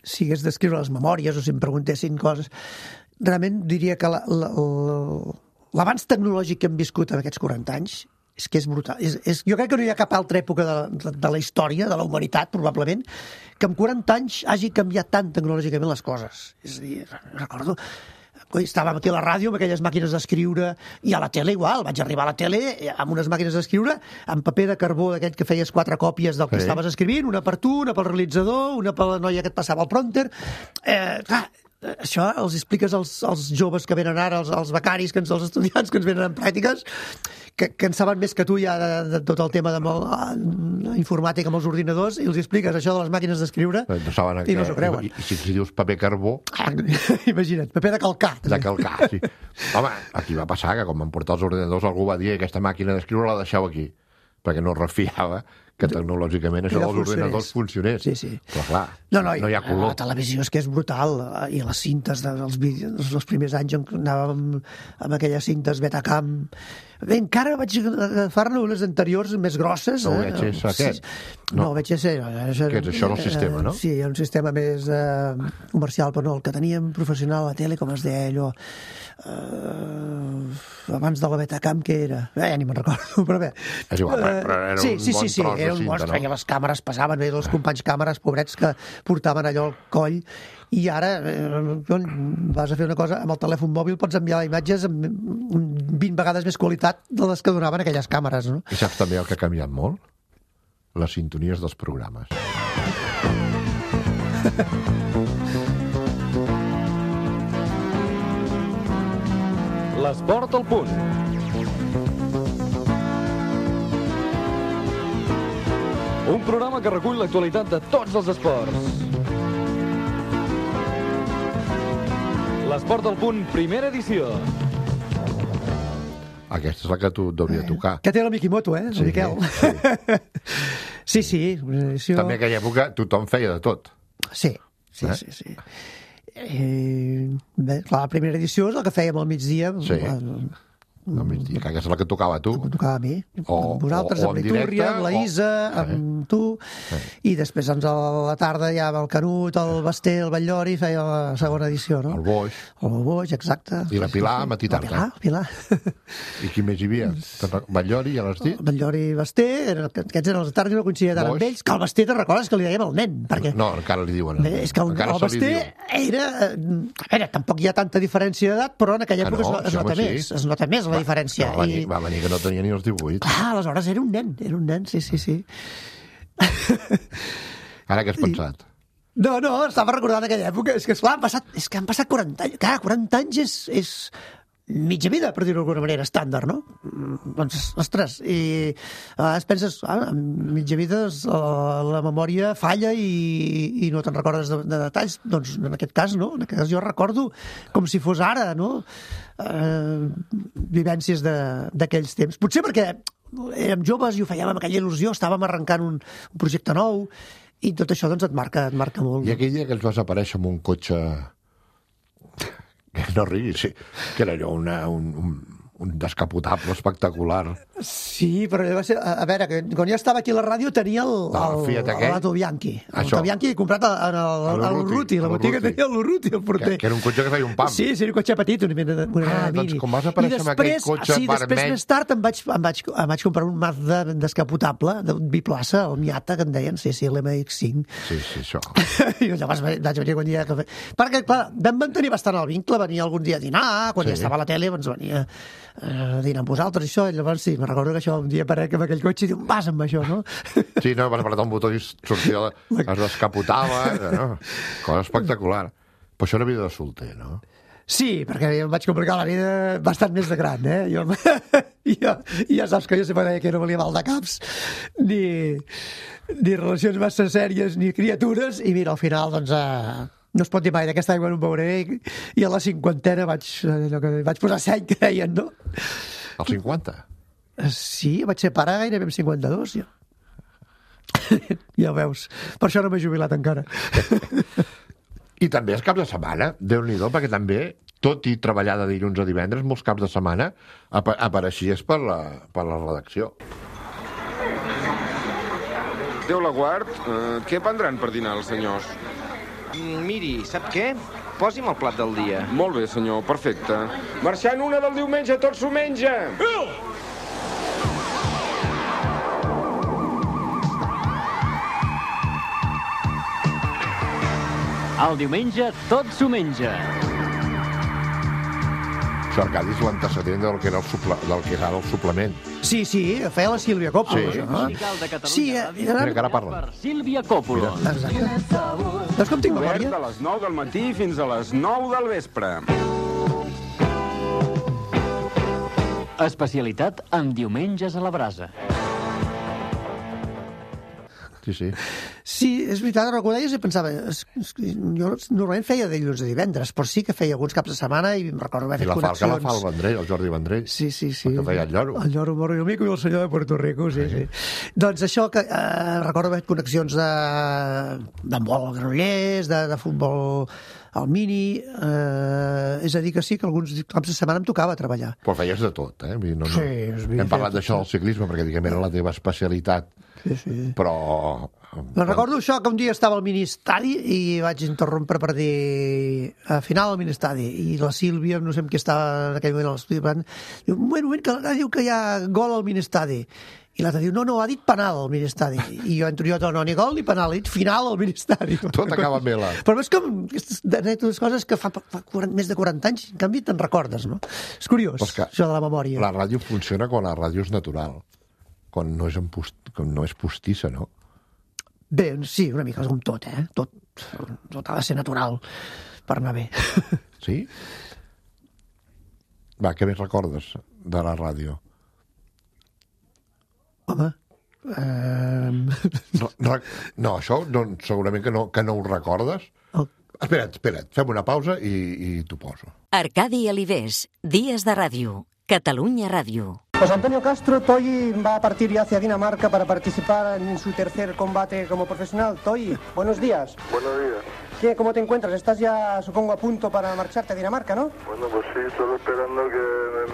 si hagués d'escriure les memòries o si em preguntessin coses, realment diria que l'avanç tecnològic que hem viscut en aquests quaranta anys és que és brutal. És, és, jo crec que no hi ha cap altra època de, de, de la història, de la humanitat, probablement, que en quaranta anys hagi canviat tant tecnològicament les coses. És a dir, recordo... coi, estàvem aquí a la ràdio amb aquelles màquines d'escriure, i a la tele igual, vaig arribar a la tele amb unes màquines d'escriure, amb paper de carbó d'aquest que feies quatre còpies del que Sí. estaves escrivint, una per tu, una pel realitzador, una per la noia que et passava el prompter. Eh, clar, això els expliques als, als joves que venen ara, als, als becaris, que ens, als estudiants que ens venen en pràctiques, que, que en saben més que tu ja de, de tot el tema de la informàtica amb els ordinadors, i els expliques això de les màquines d'escriure No saben i no s'ho creuen. I, i si, si dius paper carbó, Ah, imagina't, paper de calcar. de calcar, sí. Home, aquí va passar que quan van portar els ordinadors algú va dir aquesta màquina d'escriure la deixeu aquí, perquè no es refiava que tecnològicament això Era dels ordinadors funcionés. Sí, sí. Però clar, No, no, no hi ha color. La televisió és que és brutal, i les cintes dels vídeos, els primers anys on anàvem amb aquelles cintes Betacam. Bé, encara vaig agafar-ne unes anteriors més grosses. No, eh? V H S aquest? No, No. V H S. Això, Què és això, el sistema, no? Sí, un sistema més eh, comercial, però no, el que teníem professional a la tele, com es deia allò, eh, abans de la Betacam, què era? Eh, ja ni me'n recordo, però bé. És igual, però era sí, un sí, bon sí, sí, tros de era un cinta, monstre, no? feia les càmeres, passaven bé els companys càmeres, pobrets, que portaven allò al coll, i ara eh, vas a fer una cosa, amb el telèfon mòbil pots enviar imatges amb vint vegades més qualitat de les que donaven aquelles càmeres, no? I saps també el que ha canviat molt? Les sintonies dels programes. L'esport al punt. Un programa que recull l'actualitat de tots els esports. L'esport al punt, primera edició. Aquesta és la que tu devia tocar. Que té la Mikimoto, eh, el Sí, Miquel. Sí, sí. una edició... També en aquella època tothom feia de tot. Sí, sí, Eh? sí, sí. Eh, bé, clar, la primera edició és la que fèiem al migdia. Sí. El, Al migdia, que aquesta és la que tocava a tu. em tocava a mi, O- amb vosaltres, o- o amb en l'Itúria, directe, amb la o- Isa, amb tu, i després doncs, a la tarda ja amb el Canut, el Basté, el Batllori, feia la segona edició, no? El Boix. El Boix, exacte. I la Pilar, matí La tarda. Pilar, la Pilar. I qui més hi havia? Batllori, ja l'has dit? Batllori i Basté, eren, aquests eren els de tarda, no coincidia tant amb Boix. ells, que el Basté, te'n recordes que li dèiem el nen? Perquè No, encara li diuen. Bé, és que el, encara el se li Basté diu. era... eh, A veure, tampoc hi ha tanta diferència d'edat, però en aquella Ah, època no? es, no- es Sí, nota home, sí. més. Es nota més la diferència. Va venir, va venir que no tenia ni els divuit. Clar, aleshores era un nen, era un nen, sí, sí, sí. Ara què has pensat? No, no, estava recordant aquella època. És que, esclar, han passat, és que han passat quaranta anys. Clar, quaranta anys és, és mitja vida, per dir-ho d'alguna manera, estàndard, no? Mm, Doncs, ostres, i a vegades penses, ah, en mitja vida és, la, la memòria falla i, i no te'n recordes de, de detalls. Doncs en aquest cas, no? En aquest cas jo recordo com si fos ara, no? Eh, vivències de- d'aquells temps. Potser perquè érem joves i ho fèiem amb aquella il·lusió, estàvem arrencant un, un projecte nou, i tot això doncs et marca, et marca molt. I aquell dia que ens vas aparèixer amb un cotxe... Que no riguis, sí. Que era allò una, un, un, un descapotable espectacular. Sí, però va ser, a, a veure, que quan jo estava aquí a la ràdio tenia el, No, el, Fiat el, aquell. l'Ato Bianchi. El Això. Ato Bianchi comprat a, a, a, A a l'Urruti, la botiga l'Urruti. tenia l'Urruti, el porter. Que, que era un cotxe que feia un pam. Sí, sí, era un cotxe petit, una mena de una Ah, mena doncs mini. com vas aparèixer I amb aquell després, cotxe sí, després vermell- més tard em vaig, em vaig, em vaig comprar un Mazda descapotable, de biplaça, el Miata, que en deien, sí, sí, l'M X cinc. Sí, sí, això. I llavors vaig venir quan dia que... Perquè, clar, vam mantenir bastant el vincle, venia algun dia a dinar, quan Sí. ja estava a la tele, doncs venia eh, a dinar amb vosaltres, això, i llavors sí, me'n recordo que això un dia aparec amb aquell cotxe i diu, vas amb això, no? Sí, no, vas apretar un botó i sortia, es descapotava, no? Cosa espectacular. Però això era vida de solter, no? Sí, perquè jo em vaig complicar la vida bastant més de gran, eh? Jo, jo, ja saps que jo sempre deia que no valia mal de caps, ni, ni relacions massa sèries, ni criatures, i mira, al final, doncs, eh, no es pot dir mai d'aquesta aigua no em veuré, i, i a la cinquantena vaig, allò que, vaig posar seny, que deien, no? Als cinquanta? Sí, vaig ser pare gairebé amb cinquanta-dos, jo. Ja ho veus. Per això no m'he jubilat encara. I també els caps de setmana, Déu-n'hi-do, perquè també, tot i treballar de dilluns a divendres, molts caps de setmana apa apareixies per la, per la redacció. Déu la guard, eh, què prendran per dinar els senyors? Mm, miri, sap què? Posi'm el plat del dia. Molt bé, senyor, perfecte. Marxant una del diumenge, tot s'ho menja! El diumenge tot s'ho menja. Això, Arcadi és l'antecedent del que era el, suple, del que era el suplement. Sí, sí, feia la Sílvia Coppola. Sí, no? Sí, eh, Mira que ara parla. Sílvia Coppola. Exacte. Veus com tinc memòria? Obert a les nou del matí fins a les nou del vespre. Especialitat en diumenges a la brasa. Sí, sí. Sí, és veritat, ho deies i pensava... Es, es, jo normalment feia dilluns a divendres, però sí que feia alguns caps de setmana i em recordo haver I fet la connexions. Falca la fa el Vendrell, el Jordi Vendrell. Sí, sí, sí. El que feia el lloro. El lloro, morro i el mico i el senyor de Puerto Rico, sí, sí. sí. Doncs això, que eh, recordo haver fet connexions de d'handbol al Granollers, de, de futbol al mini... Eh, és a dir, que sí, que alguns caps de setmana em tocava treballar. Però feies de tot, eh? No, no. Sí, és veritat. Hem parlat d'això del ciclisme, perquè diguem era la teva especialitat. Sí, sí. Però... Me'n recordo això, que un dia estava al ministadi i vaig interrompre per dir a final al ministadi, i la Sílvia, no sé amb qui estava en aquell moment a l'estudi, diu, un moment, un moment, que l'altre diu que hi ha gol al ministadi. I l'altre diu, no, no, ha dit penal al ministadi. I jo entro jo, no, ni gol ni penal, ha dit final al ministadi. Tot acaba amb L. Però és com aquestes coses que fa, fa quaranta, més de quaranta anys, en canvi te'n recordes, no? És curiós, això de la memòria. La ràdio funciona quan la ràdio és natural, quan no és, post, quan no és postissa, no? Bé, sí, una mica com tot, eh? Tot, tot ha de ser natural per anar bé. Sí? Va, què més recordes de la ràdio? Home... Um... No, no, no, això no, segurament que no, que no ho recordes. Oh. Espera't, espera't, fem una pausa i, i t'ho poso. Arcadi Alivés, Días de Ràdio, Catalunya Ràdio. José Antonio Castro, Toyi va a partir ya hacia Dinamarca para participar en su tercer combate como profesional. Toyi, buenos días. Buenos días. ¿Qué, ¿Cómo te encuentras? Estás ya, supongo, a punto para marcharte a Dinamarca, ¿no? Bueno, pues sí, solo esperando que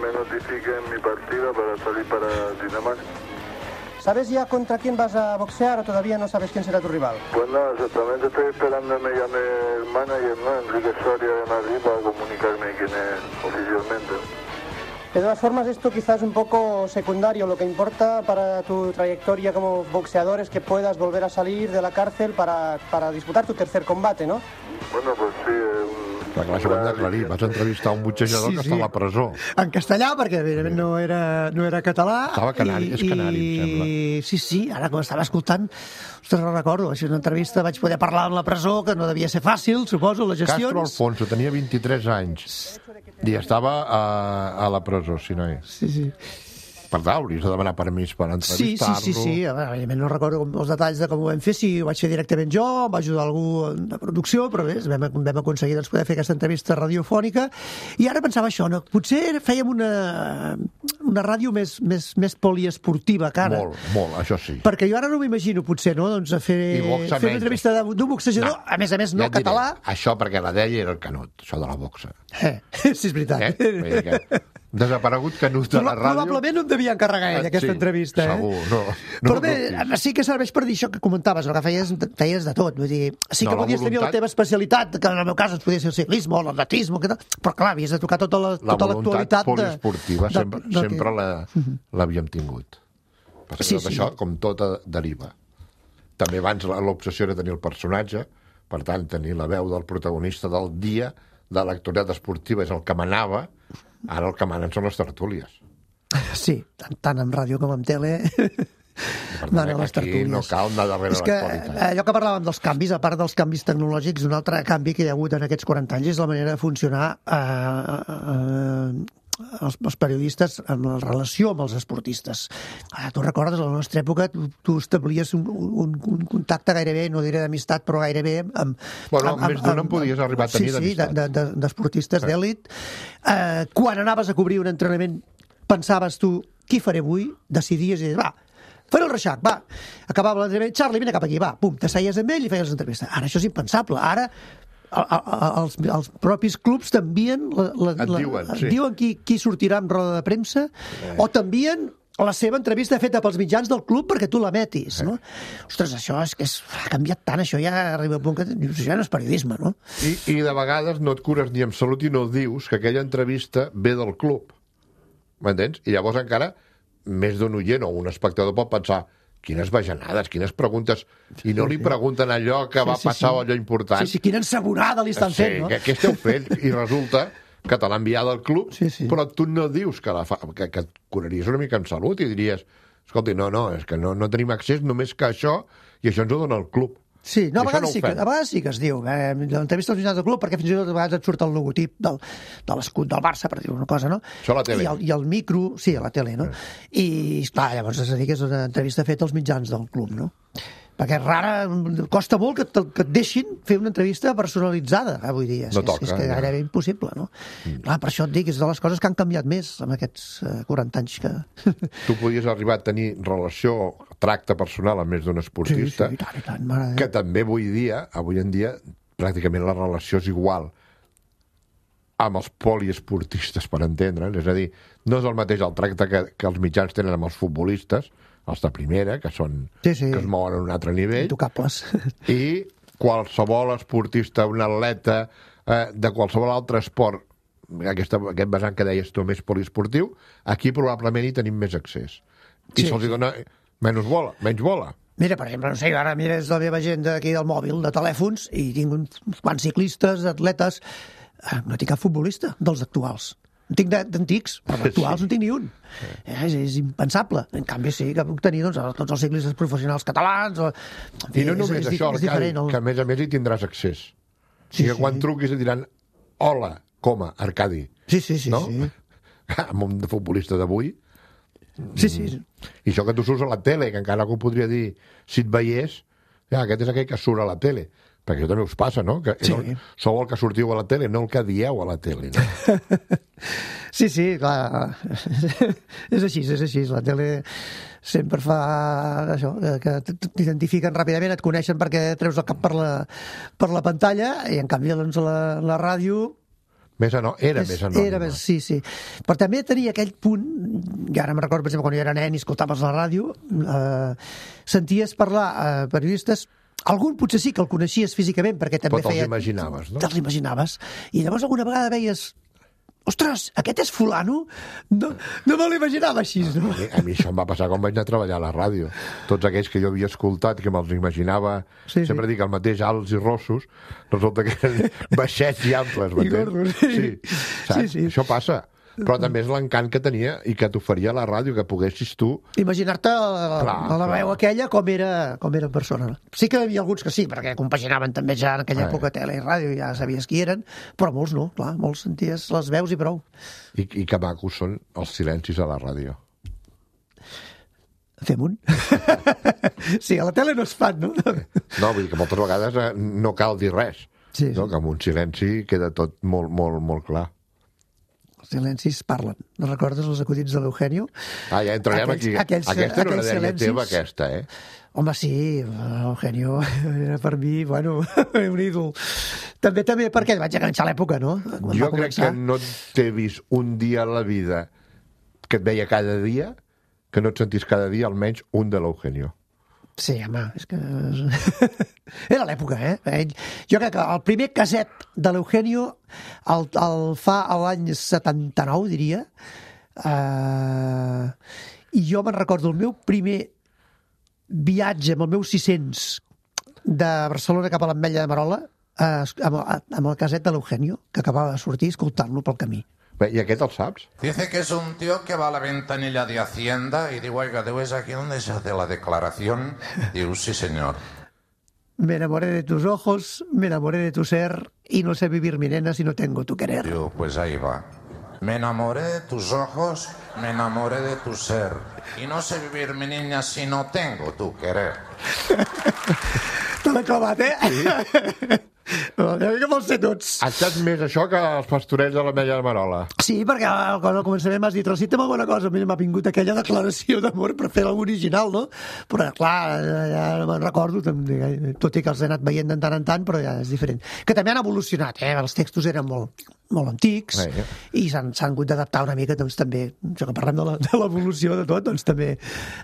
me notifiquen mi partida para salir para Dinamarca. ¿Sabes ya contra quién vas a boxear o todavía no sabes quién será tu rival? Pues no, exactamente estoy esperando que me llame el manager, ¿no? Enrique Soria de Madrid, para comunicarme quién es oficialmente. De todas formas, esto quizás es un poco secundario. Lo que importa para tu trayectoria como boxeador es que puedas volver a salir de la cárcel para, para disputar tu tercer combate, ¿no? Bueno, pues sí. Eh, Clar, clar, això ho hem d'aclarir. Vas entrevistar un boxejador sí, sí. que està a la presó. En castellà, perquè evidentment no era, no era català. Estava canari, i, és canari, i, em sembla. Sí, sí, ara quan estava escoltant, ostres, no recordo, això és una entrevista, vaig poder parlar en la presó, que no devia ser fàcil, suposo, les gestions. Castro Alfonso tenia vint-i-tres anys i estava a, a la presó, si no és. Sí, sí. Per tant, hauries de demanar permís per entrevistar-lo. Sí, sí, sí, sí. Evidentment no recordo els detalls de com ho vam fer, si ho vaig fer directament jo, em va ajudar algú de producció, però bé, vam, vam aconseguir doncs, poder fer aquesta entrevista radiofònica. I ara pensava això, no? Potser fèiem una, una ràdio més, més, més poliesportiva que ara. Molt, molt, això sí. Perquè jo ara no m'imagino, potser, no? Doncs fer, fer una entrevista d'un boxejador, no, a més a més no ja català. Diré, això perquè la deia era el Canut, això de la boxa. Eh, sí, és veritat. Eh? Desaparegut Canut de la ràdio. Probablement no em devia encarregar ell, aquesta sí, entrevista. Segur, eh? no, no. Però bé, no, sí que serveix per dir això que comentaves, no? Que feies, feies de tot. Vull dir, sí que no, podies voluntat... tenir la teva especialitat, que en el meu cas ens podia ser el ciclisme o l'atletisme, però clar, havies de tocar tota la, tota l'actualitat. La voluntat poliesportiva de, sempre, de, de, sempre l'havíem tingut. Perquè sí, tot sí. Això, com tot, deriva. També abans l'obsessió era tenir el personatge, per tant, tenir la veu del protagonista del dia, de l'actualitat esportiva, és el que manava. Ara el que manen són les tertúlies. Sí, tant, tant en ràdio com en tele. Per tant, aquí tertúlies. No cal anar darrere és que, l'actualitat. Allò que parlàvem dels canvis, a part dels canvis tecnològics, un altre canvi que hi ha hagut en aquests quaranta anys és la manera de funcionar eh, eh, els, els periodistes en la relació amb els esportistes. Ah, tu recordes, a la nostra època tu, tu establies un, un, un contacte gairebé, no diré d'amistat, però gairebé amb... Bueno, amb, més d'una en podies arribar a tenir sí, d'amistat. Sí, de, de, d'esportistes sí. d'èlit. Eh, quan anaves a cobrir un entrenament pensaves tu, qui faré avui? Decidies i dius, va, faré el Reixac, va. Acabava l'entrenament, Charlie, vine cap aquí, va, pum, t'asseies amb ell i feies l'entrevista. Ara això és impensable. Ara els, els propis clubs t'envien la, la, et diuen, la, sí. diuen qui, qui sortirà en roda de premsa eh. o t'envien la seva entrevista feta pels mitjans del club perquè tu la metis, eh. no? Ostres, això és que és, ha canviat tant, això ja arriba a punt que això ja no és periodisme, no? I, I de vegades no et cures ni amb salut i no dius que aquella entrevista ve del club, m'entens? I llavors encara més d'un oient o un espectador pot pensar quines bajanades, quines preguntes, i no li pregunten allò que sí, va sí, passar sí. o allò important. Sí, sí, quina ensabonada li estan sí, fent, no? Què, què esteu fent? I resulta que te l'ha enviat al club, sí, sí. però tu no dius que, la fa, que, que et curaries una mica en salut i diries, escolta, no, no, és que no, no tenim accés només que això, i això ens ho dona el club. Sí, no, a, vegades no sí que, a vegades sí que es diu. Eh, l'entrevista als mitjans del club, perquè fins i tot a vegades et surt el logotip del, de l'escut del Barça, per dir una cosa, no? Això a la tele. I el, i el micro, sí, a la tele, no? Eh. I, clar, llavors és a dir que és una entrevista feta als mitjans del club, no? Perquè és rara, costa molt que, te, que et deixin fer una entrevista personalitzada avui dia. No és, toca. És que gairebé ja. impossible, no? Mm. Clar, per això et dic, és de les coses que han canviat més en aquests uh, quaranta anys que... Tu podies arribar a tenir relació, tracte personal amb més d'un esportista, sí, sí, i tant, i tant, mare que també avui dia, avui en dia, pràcticament la relació és igual amb els poliesportistes, per entendre'ns. És a dir, no és el mateix el tracte que, que els mitjans tenen amb els futbolistes, els de primera, que són sí, sí. que es mouen en un altre nivell. Intocables. I qualsevol esportista, un atleta eh, de qualsevol altre esport, aquesta, aquest vessant que deies tu més poliesportiu, aquí probablement hi tenim més accés. I sí. se'ls dona menys bola, menys bola. Mira, per exemple, no sé, ara mires la meva agenda aquí del mòbil, de telèfons, i tinc uns quants ciclistes, atletes... No tinc cap futbolista dels actuals. En tinc d'antics, però d'actuals sí. no tinc ni un. Eh, és, és impensable. En canvi, sí que puc tenir doncs, tots els ciclistes professionals catalans. O... I no només és, és, això, és Arcadi, el... que a més a més hi tindràs accés. Sí, I que sí. quan truquis et diran hola, coma, Arcadi. Sí, sí, sí. No? sí. Amb un futbolista d'avui. Sí, sí. I això que tu surts a la tele, que encara algú podria dir, si et veiés, ja, aquest és aquell que surt a la tele. Perquè això també us passa, no? Que sí. el, sou el que sortiu a la tele, no el que dieu a la tele, no? Sí, sí, clar. És així, és així. La tele sempre fa això, que t'identifiquen ràpidament, et coneixen perquè treus el cap per la, per la pantalla, i en canvi doncs, la, la ràdio... Més anò... Era és, més anònima. Era més, sí, sí. Però també tenia aquell punt, i ara me'n recordo, per exemple, quan jo era nen i escoltaves la ràdio, eh, senties parlar a eh, periodistes. Algun potser sí que el coneixies físicament, perquè també feia... Però te'ls imaginaves, no? Te'ls imaginaves. I llavors alguna vegada veies... Ostres, aquest és fulano? No, no me l'imaginava així, no? A mi, a mi això em va passar quan vaig anar a treballar a la ràdio. Tots aquells que jo havia escoltat, que me'ls imaginava, sí, sempre sí. dic el mateix, alts i rossos, resulta que eren baixets i amples, m'entens? I gordos, sí. Sí, saps? Sí, sí. Això passa. Però també és l'encant que tenia i que t'oferia la ràdio, que poguessis tu... Imaginar-te la, la, la veu aquella com era, com era en persona. Sí que hi havia alguns que sí, perquè compaginaven també ja en aquella ah, època tele i ràdio, ja sabies qui eren, però molts no, clar, molts senties les veus i prou. I, i que macos són els silencis a la ràdio. Fem un. Sí, a la tele no es fan, no? No, vull dir que moltes vegades no cal dir res, sí, no? Sí. Que amb un silenci queda tot molt, molt, molt clar. Els silencis parlen. No recordes els acudits de l'Eugenio? Ah, ja entrarem aquells, aquí. Aquells, aquesta era una dèria silencis... teva, aquesta, eh? Home, sí, l'Eugenio era per mi, bueno, un ídol. També també perquè vaig enganxar l'època, no? Quan jo crec que no t'he vist un dia a la vida que et veia cada dia, que no et sentís cada dia almenys un de l'Eugenio. Sí, home, és que... Era l'època, eh? Jo crec que el primer caset de l'Eugenio el, el fa a l'any setanta-nou, diria. Uh, I jo me'n recordo el meu primer viatge amb el meu sis-cents de Barcelona cap a l'Ametlla de Marola uh, amb, amb el caset de l'Eugenio, que acabava de sortir escoltant-lo pel camí. Bé, ¿y aquest el saps? Dice que es un tío que va a la ventanilla de Hacienda y digo, oiga, ¿es aquí donde se hace la declaración? Digo, sí, señor. Me enamoré de tus ojos, me enamoré de tu ser y no sé vivir, mi nena, si no tengo tu querer. Digo, pues ahí va. Me enamoré de tus ojos, me enamoré de tu ser y no sé vivir, mi niña, si no tengo tu querer. Te l'he clavat, eh? Sí. No, que vols ser tots. Ha estat més això que els pastorets de l'Ametlla de Marola. Sí, perquè al començament m'has dit, recita'm alguna cosa. A mi m'ha vingut aquella declaració d'amor per fer l'original, no? Però, clar, ja no me'n recordo, tot i que els he anat veient de tant en tant, però ja és diferent. Que també han evolucionat, eh? Els textos eren molt, molt antics sí. I s'han hagut d'adaptar una mica, doncs també, això que parlem de l'evolució de tot, doncs també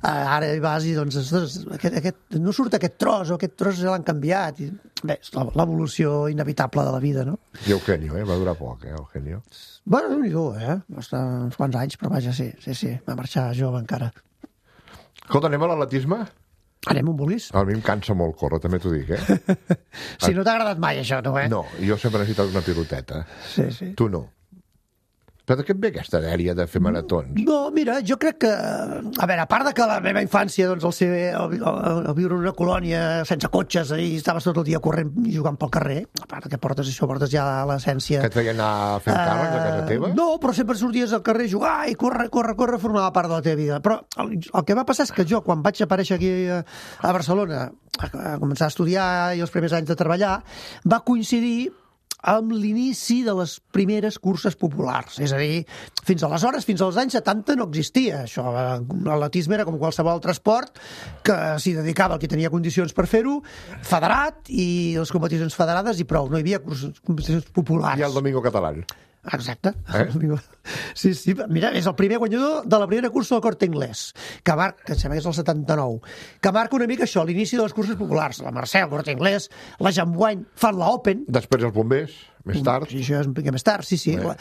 ara hi vas i doncs aquest, aquest, no surt aquest tros o aquest tros ja l'han canviat. I, bé, és l'evolució inevitable de la vida, no? I Eugenio, eh? Va durar poc, eh, Eugenio? Bueno, no eh? Va estar uns quants anys, però vaja, sí, sí, sí, va marxar jove encara. Escolta, anem a l'atletisme? Anem on vulguis. A mi em cansa molt córrer, també t'ho dic, eh? Si no t'ha agradat mai, això, no, eh? No, jo sempre he necessitat una piloteta. Sí, sí. Tu no. Però de què et ve aquesta dèria de fer maratons? No, mira, jo crec que... A veure, a part de que la meva infància, doncs, el, ser, el, el, el viure en una colònia sense cotxes i estaves tot el dia corrent i jugant pel carrer, a part que portes això, portes ja l'essència... Que et feien anar fent càrrecs a casa teva? No, però sempre sorties al carrer a jugar i córrer, córrer, córrer, formava part de la teva vida. Però el, el que va passar és que jo, quan vaig aparèixer aquí a, a Barcelona, a, a començar a estudiar i els primers anys de treballar, va coincidir amb l'inici de les primeres curses populars. És a dir, fins aleshores, fins als anys setanta, no existia això. L'atletisme era com qualsevol altre esport que s'hi dedicava el que tenia condicions per fer-ho, federat, i les competicions federades i prou. No hi havia curses, competicions populars. I el Domingo Catalán. Exacte. Eh? Sí, sí. Mira, és el primer guanyador de la primera cursa del Corte Inglés, que marca, que sembla que és el setanta-nou, que marca una mica això, l'inici de les curses populars. La Mercè, el Corte Inglés, la Jambouany fan la Open. Després els bombers, més tard. Sí, això és un mica més tard, sí, sí. La,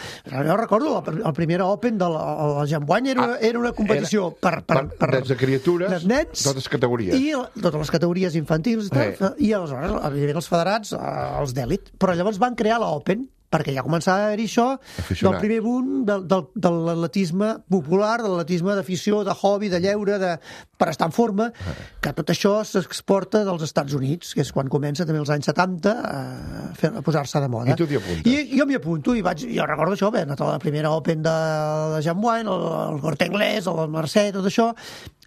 jo recordo, la, la primera Open de la, la Jambouany era, ah, era una competició era, per, per, per, per... Des de criatures, dels nens, totes categories. I totes les categories infantils i tal. Eh. I aleshores, evidentment, els federats, els d'èlit. Però llavors van crear la Open, perquè ja començava a haver-hi això del primer boom del, del, de l'atletisme popular, de l'atletisme d'afició, de hobby, de lleure, de, per estar en forma, que tot això s'exporta dels Estats Units, que és quan comença també els anys setanta a, fer, a posar-se de moda. I tu t'hi apuntes? I jo m'hi apunto, i vaig, jo recordo això, bé, anat a la primera Open de, de Jambouany, el, el Corte Inglés, el Mercè, tot això,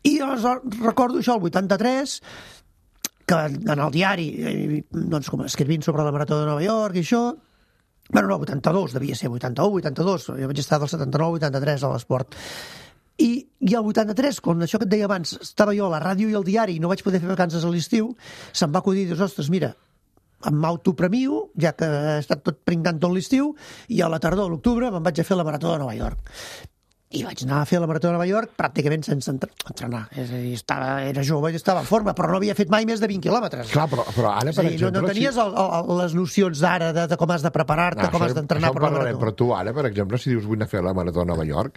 i aleshores recordo això, el vuitanta-tres, que en el diari, doncs, com escrivint sobre la Marató de Nova York i això, bueno, no, vuitanta-dos, devia ser vuitanta-u, vuitanta-dos, jo vaig estar del setanta-nou al vuitanta-tres a l'esport. I, i el vuitanta-tres, com això que et deia abans, estava jo a la ràdio i al diari i no vaig poder fer vacances a l'estiu, se'm va acudir, dius, ostres, mira, em m'autopremio, ja que he estat tot pringant tot l'estiu, i a la tardor, a l'octubre, me'n vaig a fer la Marató de Nova York. I vaig anar a fer la Marató de Nova York pràcticament sense entrenar. És a dir, estava, era jove i estava en forma, però no havia fet mai més de vint quilòmetres. Clar, però, però ara, per dir, exemple... No, no tenies si... el, el, les nocions d'ara de, de com has de preparar-te, no, com has d'entrenar per la Marató. Però tu ara, per exemple, si dius vull anar a fer la Marató de Nova York,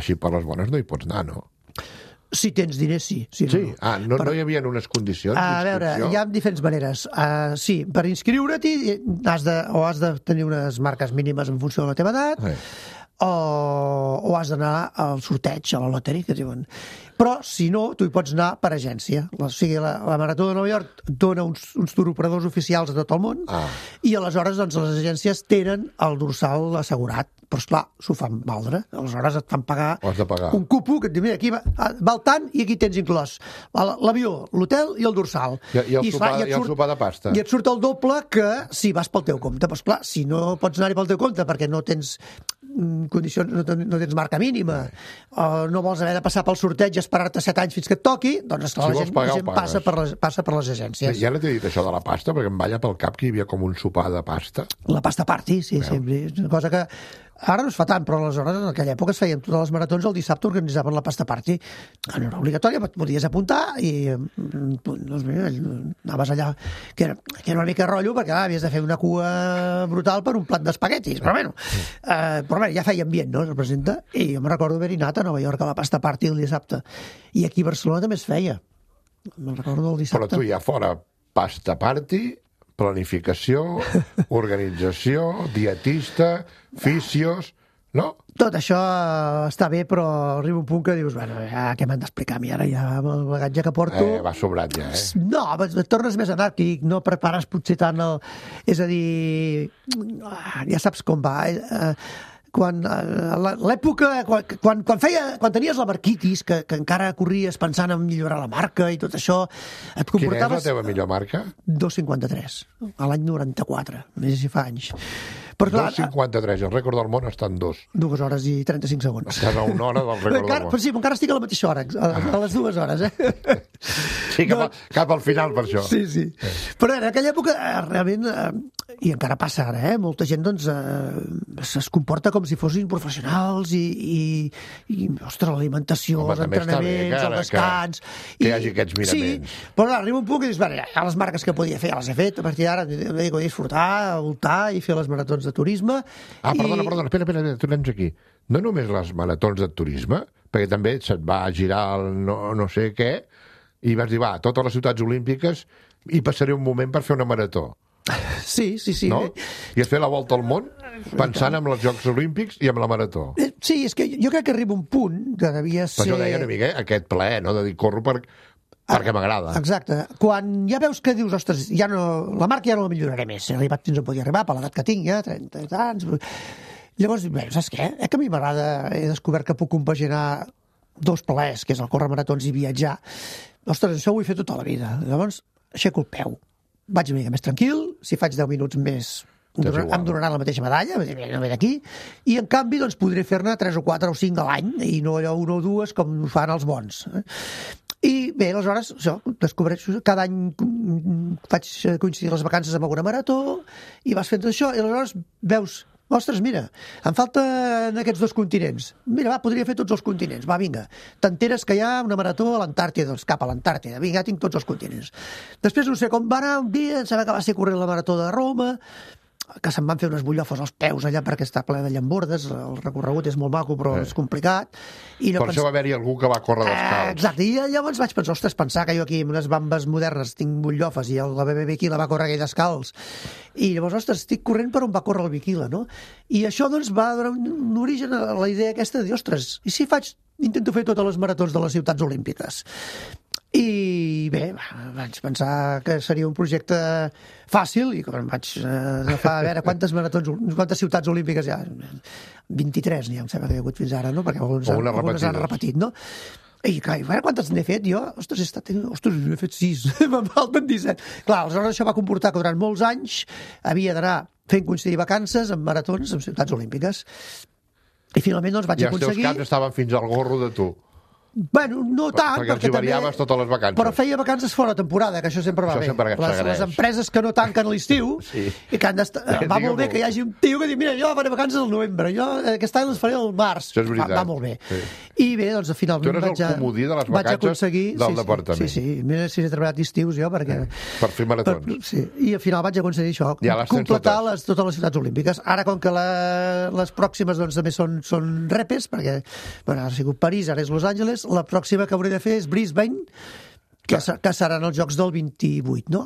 així per les bones no hi pots anar, no? Si tens diners, sí. Sí, sí. No. Ah, no, però, no hi havia unes condicions a veure, hi ha diferents maneres. Uh, sí, per inscriure-t'hi has de, o has de tenir unes marques mínimes en funció de la teva edat, eh. o, o has d'anar al sorteig, a la loteria, que diuen. Però, si no, tu hi pots anar per agència. O sigui, la, la Marató de Nova York dona uns, uns turoperadors oficials a tot el món, ah. i aleshores doncs, les agències tenen el dorsal assegurat. Però, esclar, s'ho fan valdre. Aleshores et fan pagar, pagar. un cupo que et diu, mira, aquí va, val tant i aquí tens inclòs l'avió, l'hotel i el dorsal. I, i, el, I, sopar, i, i el sopar de pasta. I et surt el doble que si vas pel teu compte. Però, esclar, si no pots anar-hi pel teu compte perquè no tens condicions, no, no tens marca mínima, o no vols haver de passar pel sorteig i esperar-te set anys fins que et toqui, doncs esclar, si la gent, la gent passa, per les, passa per les agències. Ja no t'he dit això de la pasta, perquè em balla pel cap que hi havia com un sopar de pasta. La pasta party, sí, sempre. És una cosa que ara no es fa tant, però aleshores en aquella època es feien totes les maratons, el dissabte organitzaven la pasta party. No era obligatòria, podies apuntar i doncs, mira, anaves allà, que era, que era una mica rotllo, perquè ah, havies de fer una cua brutal per un plat d'espaguetis, però bueno, eh, però bé, ja feia ambient, no?, es representa, i jo me recordo haver-hi anat a Nova York a la pasta party el dissabte, i aquí a Barcelona també es feia, me'n recordo del dissabte. Però tu ja fora pasta party, planificació, organització, dietista, fisios, no? Tot això està bé, però arriba un punt que dius, bueno, ja, què m'han d'explicar a mi ara, ja amb el bagatge que porto... Eh, va sobrat ja, eh? No, et tornes més anàrquic, no prepares potser tant el... És a dir, ja saps com va, eh? Quan l'època, quan, quan, quan, feia, quan tenies la marquitis, que, que encara corries pensant en millorar la marca i tot això, et comportaves... Quina és la teva millor marca? dos cinquanta-tres, a l'any noranta-quatre, més si fa anys. dos cinquanta-tres, el rècord del món està en dos. Dues hores i trenta-cinc segons. Estàs a una hora del rècord encara, del món. Però sí, encara estic a la mateixa hora, a, a les dues hores, eh? Sí, cap, a, cap al final, per això. Sí, sí. Però en aquella època, realment, eh, i encara passa ara, eh? Molta gent, doncs, eh, es comporta com si fossin professionals i, i, i ostres, l'alimentació, els entrenaments, bé, el descans... Que, que hi hagi aquests miraments. Sí, però arriba un punt que dius, bueno, ja les marques que podia fer, ja les he fet, a partir d'ara, em dedico a disfrutar, a voltar i fer les maratons de turisme. Ah, perdona, i... perdona, espera, espera, tornem aquí. No només les maratons de turisme, perquè també se't va girar el no, no sé què, i vas dir, va, totes les ciutats olímpiques i passaré un moment per fer una marató. Sí, sí, sí. No? I has fet la volta al món pensant en els Jocs Olímpics i en la marató. Sí, és que jo crec que arriba un punt que devia ser... Per això deia una mica, eh? Aquest plaer, no? De dir, corro per... perquè m'agrada. Exacte. Quan ja veus que dius, ostres, ja no, la marca ja no la milloraré més, he arribat fins on podia arribar, per l'edat que tinc, ja, trenta anys... Llavors, bé, saps què? Eh que a mi m'agrada, he descobert que puc compaginar dos plaers, que és el córrer maratons i viatjar. Ostres, això ho he fet tota la vida. Llavors, aixeco el peu. Vaig una mica més tranquil, si faig deu minuts més em donaran, em donaran la mateixa medalla, no ve d'aquí, i en canvi doncs, podré fer-ne tres o quatre o cinc a l'any, i no allò una o dues com fan els bons. I bé, aleshores, això, descobreixo, cada any faig coincidir les vacances amb alguna marató, i vas fent això, i aleshores veus, ostres, mira, em falten aquests dos continents. Mira, va, podria fer tots els continents. Va, vinga. T'enteres que hi ha una marató a l'Antàrtida, doncs cap a l'Antàrtida. Vinga, ja tinc tots els continents. Després no sé com va anar un dia, em sembla que va ser corrent la marató de Roma, que se'n van fer unes bullofes als peus allà perquè està ple de llambordes, el recorregut és molt maco però eh. és complicat. I no per pens... això va haver-hi algú que va córrer descalç. Eh, exacte, i llavors vaig pensar, ostres, pensar que jo aquí amb unes bambes modernes tinc bullofes i la B B B Aquila va córrer aquell descalç. I llavors, ostres, estic corrent per on va córrer el Bikila, no? I això doncs va donar un origen a la idea aquesta de dir, ostres, i si faig, intento fer totes les maratons de les ciutats olímpiques? I bé, vaig pensar que seria un projecte fàcil i quan vaig agafar a veure quantes maratons, quantes ciutats olímpiques hi ha, vint-i-tres n'hi ha, em sembla que hi ha hagut fins ara, no? Perquè alguns, algunes han repetit, no? I clar, a veure quantes n'he fet jo? Ostres, he estat... Ostres, n'he fet sis, me'n falten disset. Clar, aleshores això va comportar que durant molts anys havia d'anar fent coincidir vacances amb maratons en ciutats olímpiques. I finalment doncs vaig aconseguir... I els teus caps estaven fins al gorro de tu. Bueno, no tant, perquè, perquè els variaves totes les vacances. Però feia vacances fora temporada, que això sempre va això bé. Sempre les, les empreses que no tanquen a l'estiu sí. i que han d'estar... Va molt bé que hi hagi un tio que diu, mira, jo faré vacances al novembre, jo aquest any les faré al març. Això és veritat. Va, va molt bé. Sí. I bé, doncs finalment tu eres vaig, el comodí de les vacances aconseguir... del sí, departament. Sí, sí, mira si he treballat estius jo, perquè... Per fer maratons. Per, sí. I al final vaig aconseguir això, ja completar totes. Les, totes les ciutats olímpiques. Ara, com que la, les pròximes doncs, també són, són repes, perquè bueno, ha sigut París, ara és Los Angeles, la pròxima que hauré de fer és Brisbane, que, que seran els jocs del vint-i-vuit, no?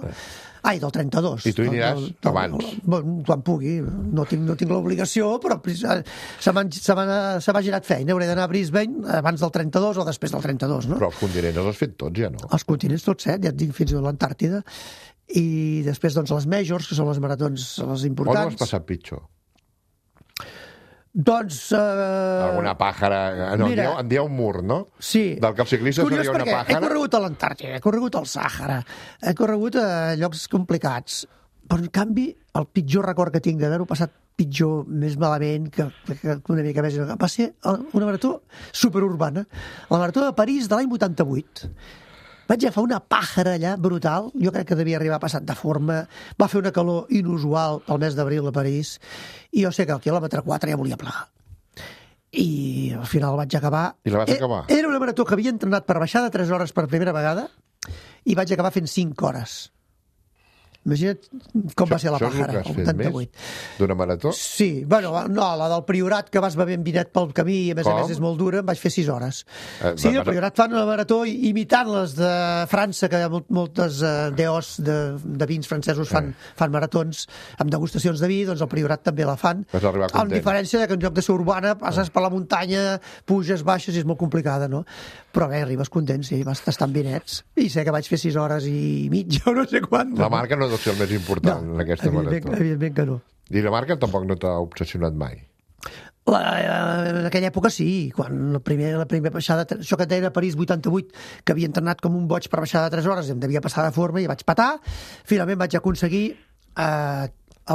Ai, del trenta-dos. I tu hi aniràs del, del, abans? Del, quan pugui. No tinc, no tinc l'obligació, però se m'ha girat feina. Hauré d'anar a Brisbane abans del trenta-dos o després del trenta-dos, no? Però els continents els has fet tots, ja no? Els continents tots, eh? Ja et dic fins a l'Antàrtida. I després, doncs, les majors, que són les maratons les importants. On ho has passat pitjor? Doncs... Uh... Alguna pàjara... No, mira, en dieu un mur, no? Sí. Del que el ciclista seria una pàjara. He corregut a l'Antàrtida, he corregut al Sàhara, he corregut a llocs complicats, però en canvi el pitjor record que tinc d'haver-ho passat pitjor, més malament, que, que una mica més... Va ser una marató superurbana, la marató de París de l'any vuitanta-vuit. Vaig agafar una pàjara allà brutal, jo crec que devia arribar passat de forma, va fer una calor inusual pel mes d'abril a París, i jo sé que al quilòmetre quatre ja volia plegar. I al final vaig acabar... I la vas acabar? Era una marató que havia entrenat per baixar de tres hores per primera vegada, i vaig acabar fent cinc hores. Imagina't com va ser la pàjara, el vuitanta-vuit. D'una marató? Sí, bueno, no, la del Priorat, que vas bevent vinet pel camí i a més com? a més és molt dura, em vaig fer sis hores. Eh, sí, el Priorat fan una marató imitant les de França, que moltes uh, D Os de, de vins francesos fan, eh. fan maratons amb degustacions de vi, doncs el Priorat també la fan. Vas arribar content. Amb diferència de que en lloc de ser urbana passes eh. per la muntanya, puges, baixes i és molt complicada, no? Però bé, arribes content, sí, vas tastant vinets. I sé que vaig fer sis hores i mitja o no sé quant. La marca no deu ser el més important no, en aquesta marató. Evidentment que no. I la marca tampoc no t'ha obsessionat mai? La, en aquella època sí, quan la primera, la primera baixada, això que et deia a París vuitanta-vuit, que havia entrenat com un boig per baixar de tres hores, em devia passar de forma i vaig patar. Finalment vaig aconseguir eh,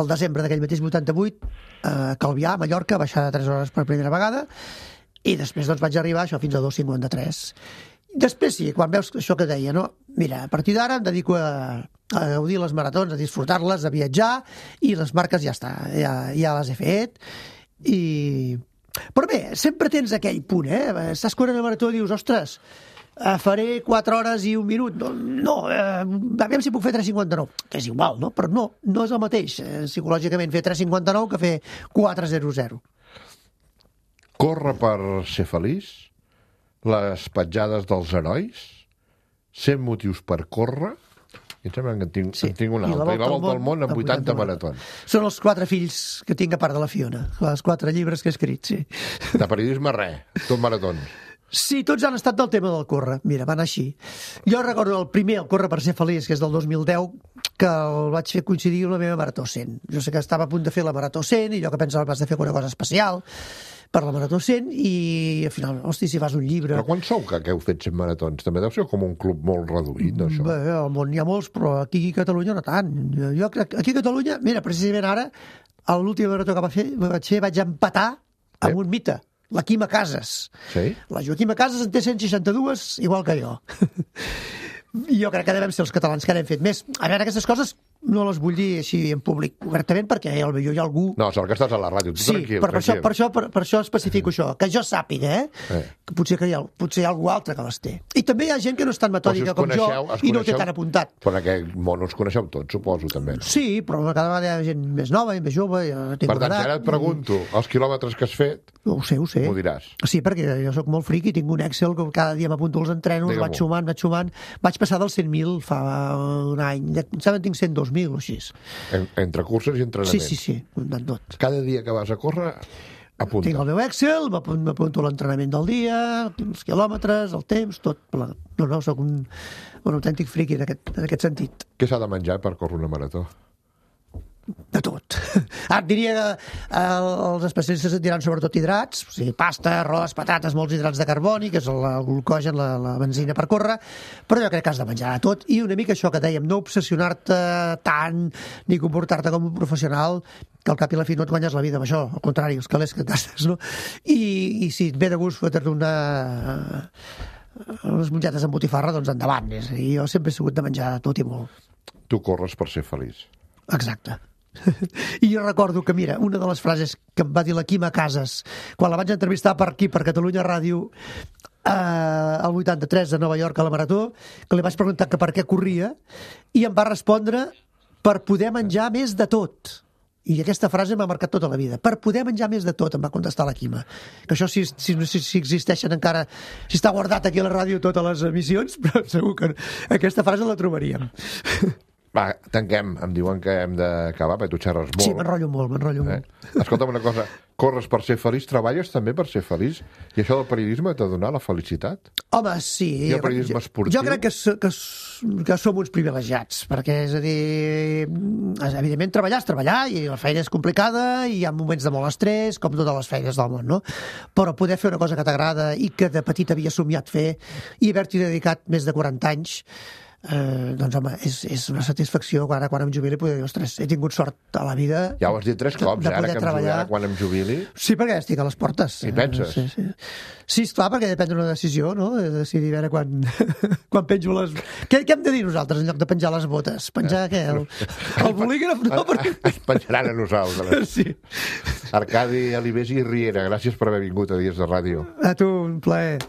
el desembre d'aquell mateix vuitanta-vuit eh, Calvià, a Mallorca, baixar de tres hores per primera vegada, i després doncs, vaig arribar això fins a dos cinquanta-tres. Després sí, quan veus això que deia, no? Mira, a partir d'ara em dedico a, a gaudir les maratons, a disfrutar-les, a viatjar, i les marques ja està, ja, ja les he fet. I... Però bé, sempre tens aquell punt, eh? Estàs corrent a marató i dius, ostres, faré quatre hores i un minut. No, no eh, aviam si puc fer tres cinquanta-nou. Que és igual, no? Però no, no és el mateix, eh, psicològicament, fer tres cinquanta-nou que fer quatre zero zero. Córrer per ser feliç? Les petjades dels herois? cent motius per córrer? I em sembla que en tinc, Sí. en tinc una I la altra. I la Volta al volta al món amb amb vuitanta vuitanta maratons. Són els quatre fills que tinc a part de la Fiona, els quatre llibres que he escrit, sí. De periodisme, res. Tot maratons. Sí, tots han estat del tema del córrer. Mira, va anar així. Jo recordo el primer, el Córrer per ser feliç, que és del dos mil deu, que el vaig fer coincidir amb la meva Marató cent. Jo sé que estava a punt de fer la Marató cent i jo que pensava que vas de fer una cosa especial per la Marató cent i al final, hosti, si fas un llibre... Però quan sou que, que heu fet cent maratons? També deu ser com un club molt reduït, no, això? Bé, al món hi ha molts, però aquí a Catalunya no tant. Jo, jo crec aquí a Catalunya, mira, precisament ara, a l'última marató que va fer, vaig fer, vaig empatar amb un mite, la Quima Casas. Sí? La Joaquima Casas en té cent seixanta-dos, igual que jo. I jo crec que devem ser els catalans que n'hem fet més. A veure, aquestes coses no les vull dir així en públic obertament perquè ja hi ha algú... No, sort que estàs a la ràdio. Tu Sí, tranquil, per, per, això, tranquil. per, això, per, per això especifico això, que jo sàpiga, eh? Eh. Que potser, que hi ha, potser hi ha algú altre que les té. I també hi ha gent que no és tan Però si metòdica us com jo coneixeu, us i no ho té coneixeu, tan apuntat. Però en aquest món us coneixeu tots, suposo, també. No? Sí, però cada vegada hi ha gent més nova i més jove. Jo tinc Per tant, una si ara edat et pregunto els quilòmetres que has fet, i... Ho sé, ho sé. m'ho diràs. Sí, perquè jo sóc molt friqui, tinc un Excel que cada dia m'apunto els entrenos, Digue-m'ho. vaig sumant, vaig sumant. Vaig passar dels cent mil fa un any. Em sembla que tinc cent dos mil o així. En, entre curses i Sí, entrenaments. sí, sí, comptant tot. Cada dia que vas a córrer, apunta. Tinc el meu Excel, m'apun- m'apunto l'entrenament del dia, els quilòmetres, el temps, tot. No, no, sóc un, un autèntic friqui en aquest, en aquest sentit. Què s'ha de menjar per córrer una marató? De tot. Ara et diria que eh, els especialistes et diran sobretot hidrats, o sigui, pasta, arròs, patates, molts hidrats de carboni, que és el, el glucogen, la, la benzina per córrer, però jo crec que has de menjar de tot, i una mica això que dèiem, no obsessionar-te tant, ni comportar-te com un professional, que al cap i a la fi no et guanyes la vida amb això, al contrari, els calés que et gastes, no? I, i si et ve de gust fotre una... unes mongetes amb botifarra, doncs endavant. És a dir, jo sempre he sigut de menjar de tot i molt. Tu corres per ser feliç. Exacte. I jo recordo que, mira, una de les frases que em va dir la Quima Casas quan la vaig entrevistar per aquí, per Catalunya Ràdio, eh, al vuitanta-tres a Nova York a la Marató, que li vaig preguntar que per què corria, i em va respondre per poder menjar més de tot. I aquesta frase m'ha marcat tota la vida. Per poder menjar més de tot, em va contestar la Quima. Que això, si, si, si, si existeixen encara, si està guardat aquí a la ràdio totes les emissions, però segur que aquesta frase la trobaríem. Va, tanquem. Em diuen que hem d'acabar, perquè tu xerres molt. Sí, m'enrotllo molt, m'enrotllo Eh? molt. Escolta'm una cosa, corres per ser feliç, treballes també per ser feliç? I això del periodisme t'ha donat la felicitat? Home, sí. I el periodisme jo, esportiu? Jo crec que, s- que, s- que som uns privilegiats, perquè, és a dir, evidentment treballar és treballar, i la feina és complicada, i hi ha moments de molt estrès, com totes les feines del món, no? Però poder fer una cosa que t'agrada i que de petit havia somiat fer, i haver-t'hi dedicat més de quaranta anys, Eh, doncs home, és, és una satisfacció quan, quan em jubili poder dir, ostres, he tingut sort a la vida Ja ho has dit tres de- cops, de eh, ara poder que em treballar. jubili, quan em jubili. Sí, perquè estic a les portes. Hi penses? Sí, sí. Sí, esclar, perquè he de prendre una decisió, no? He de decidir a veure quan, quan penjo les... Què, què hem de dir nosaltres en lloc de penjar les botes? Penjar què? El, el bolígraf? No, perquè... Ens penjaran a nosaltres. Sí. Arcadi Alibés i Riera, gràcies per haver vingut a Dies de Ràdio. A tu, un plaer.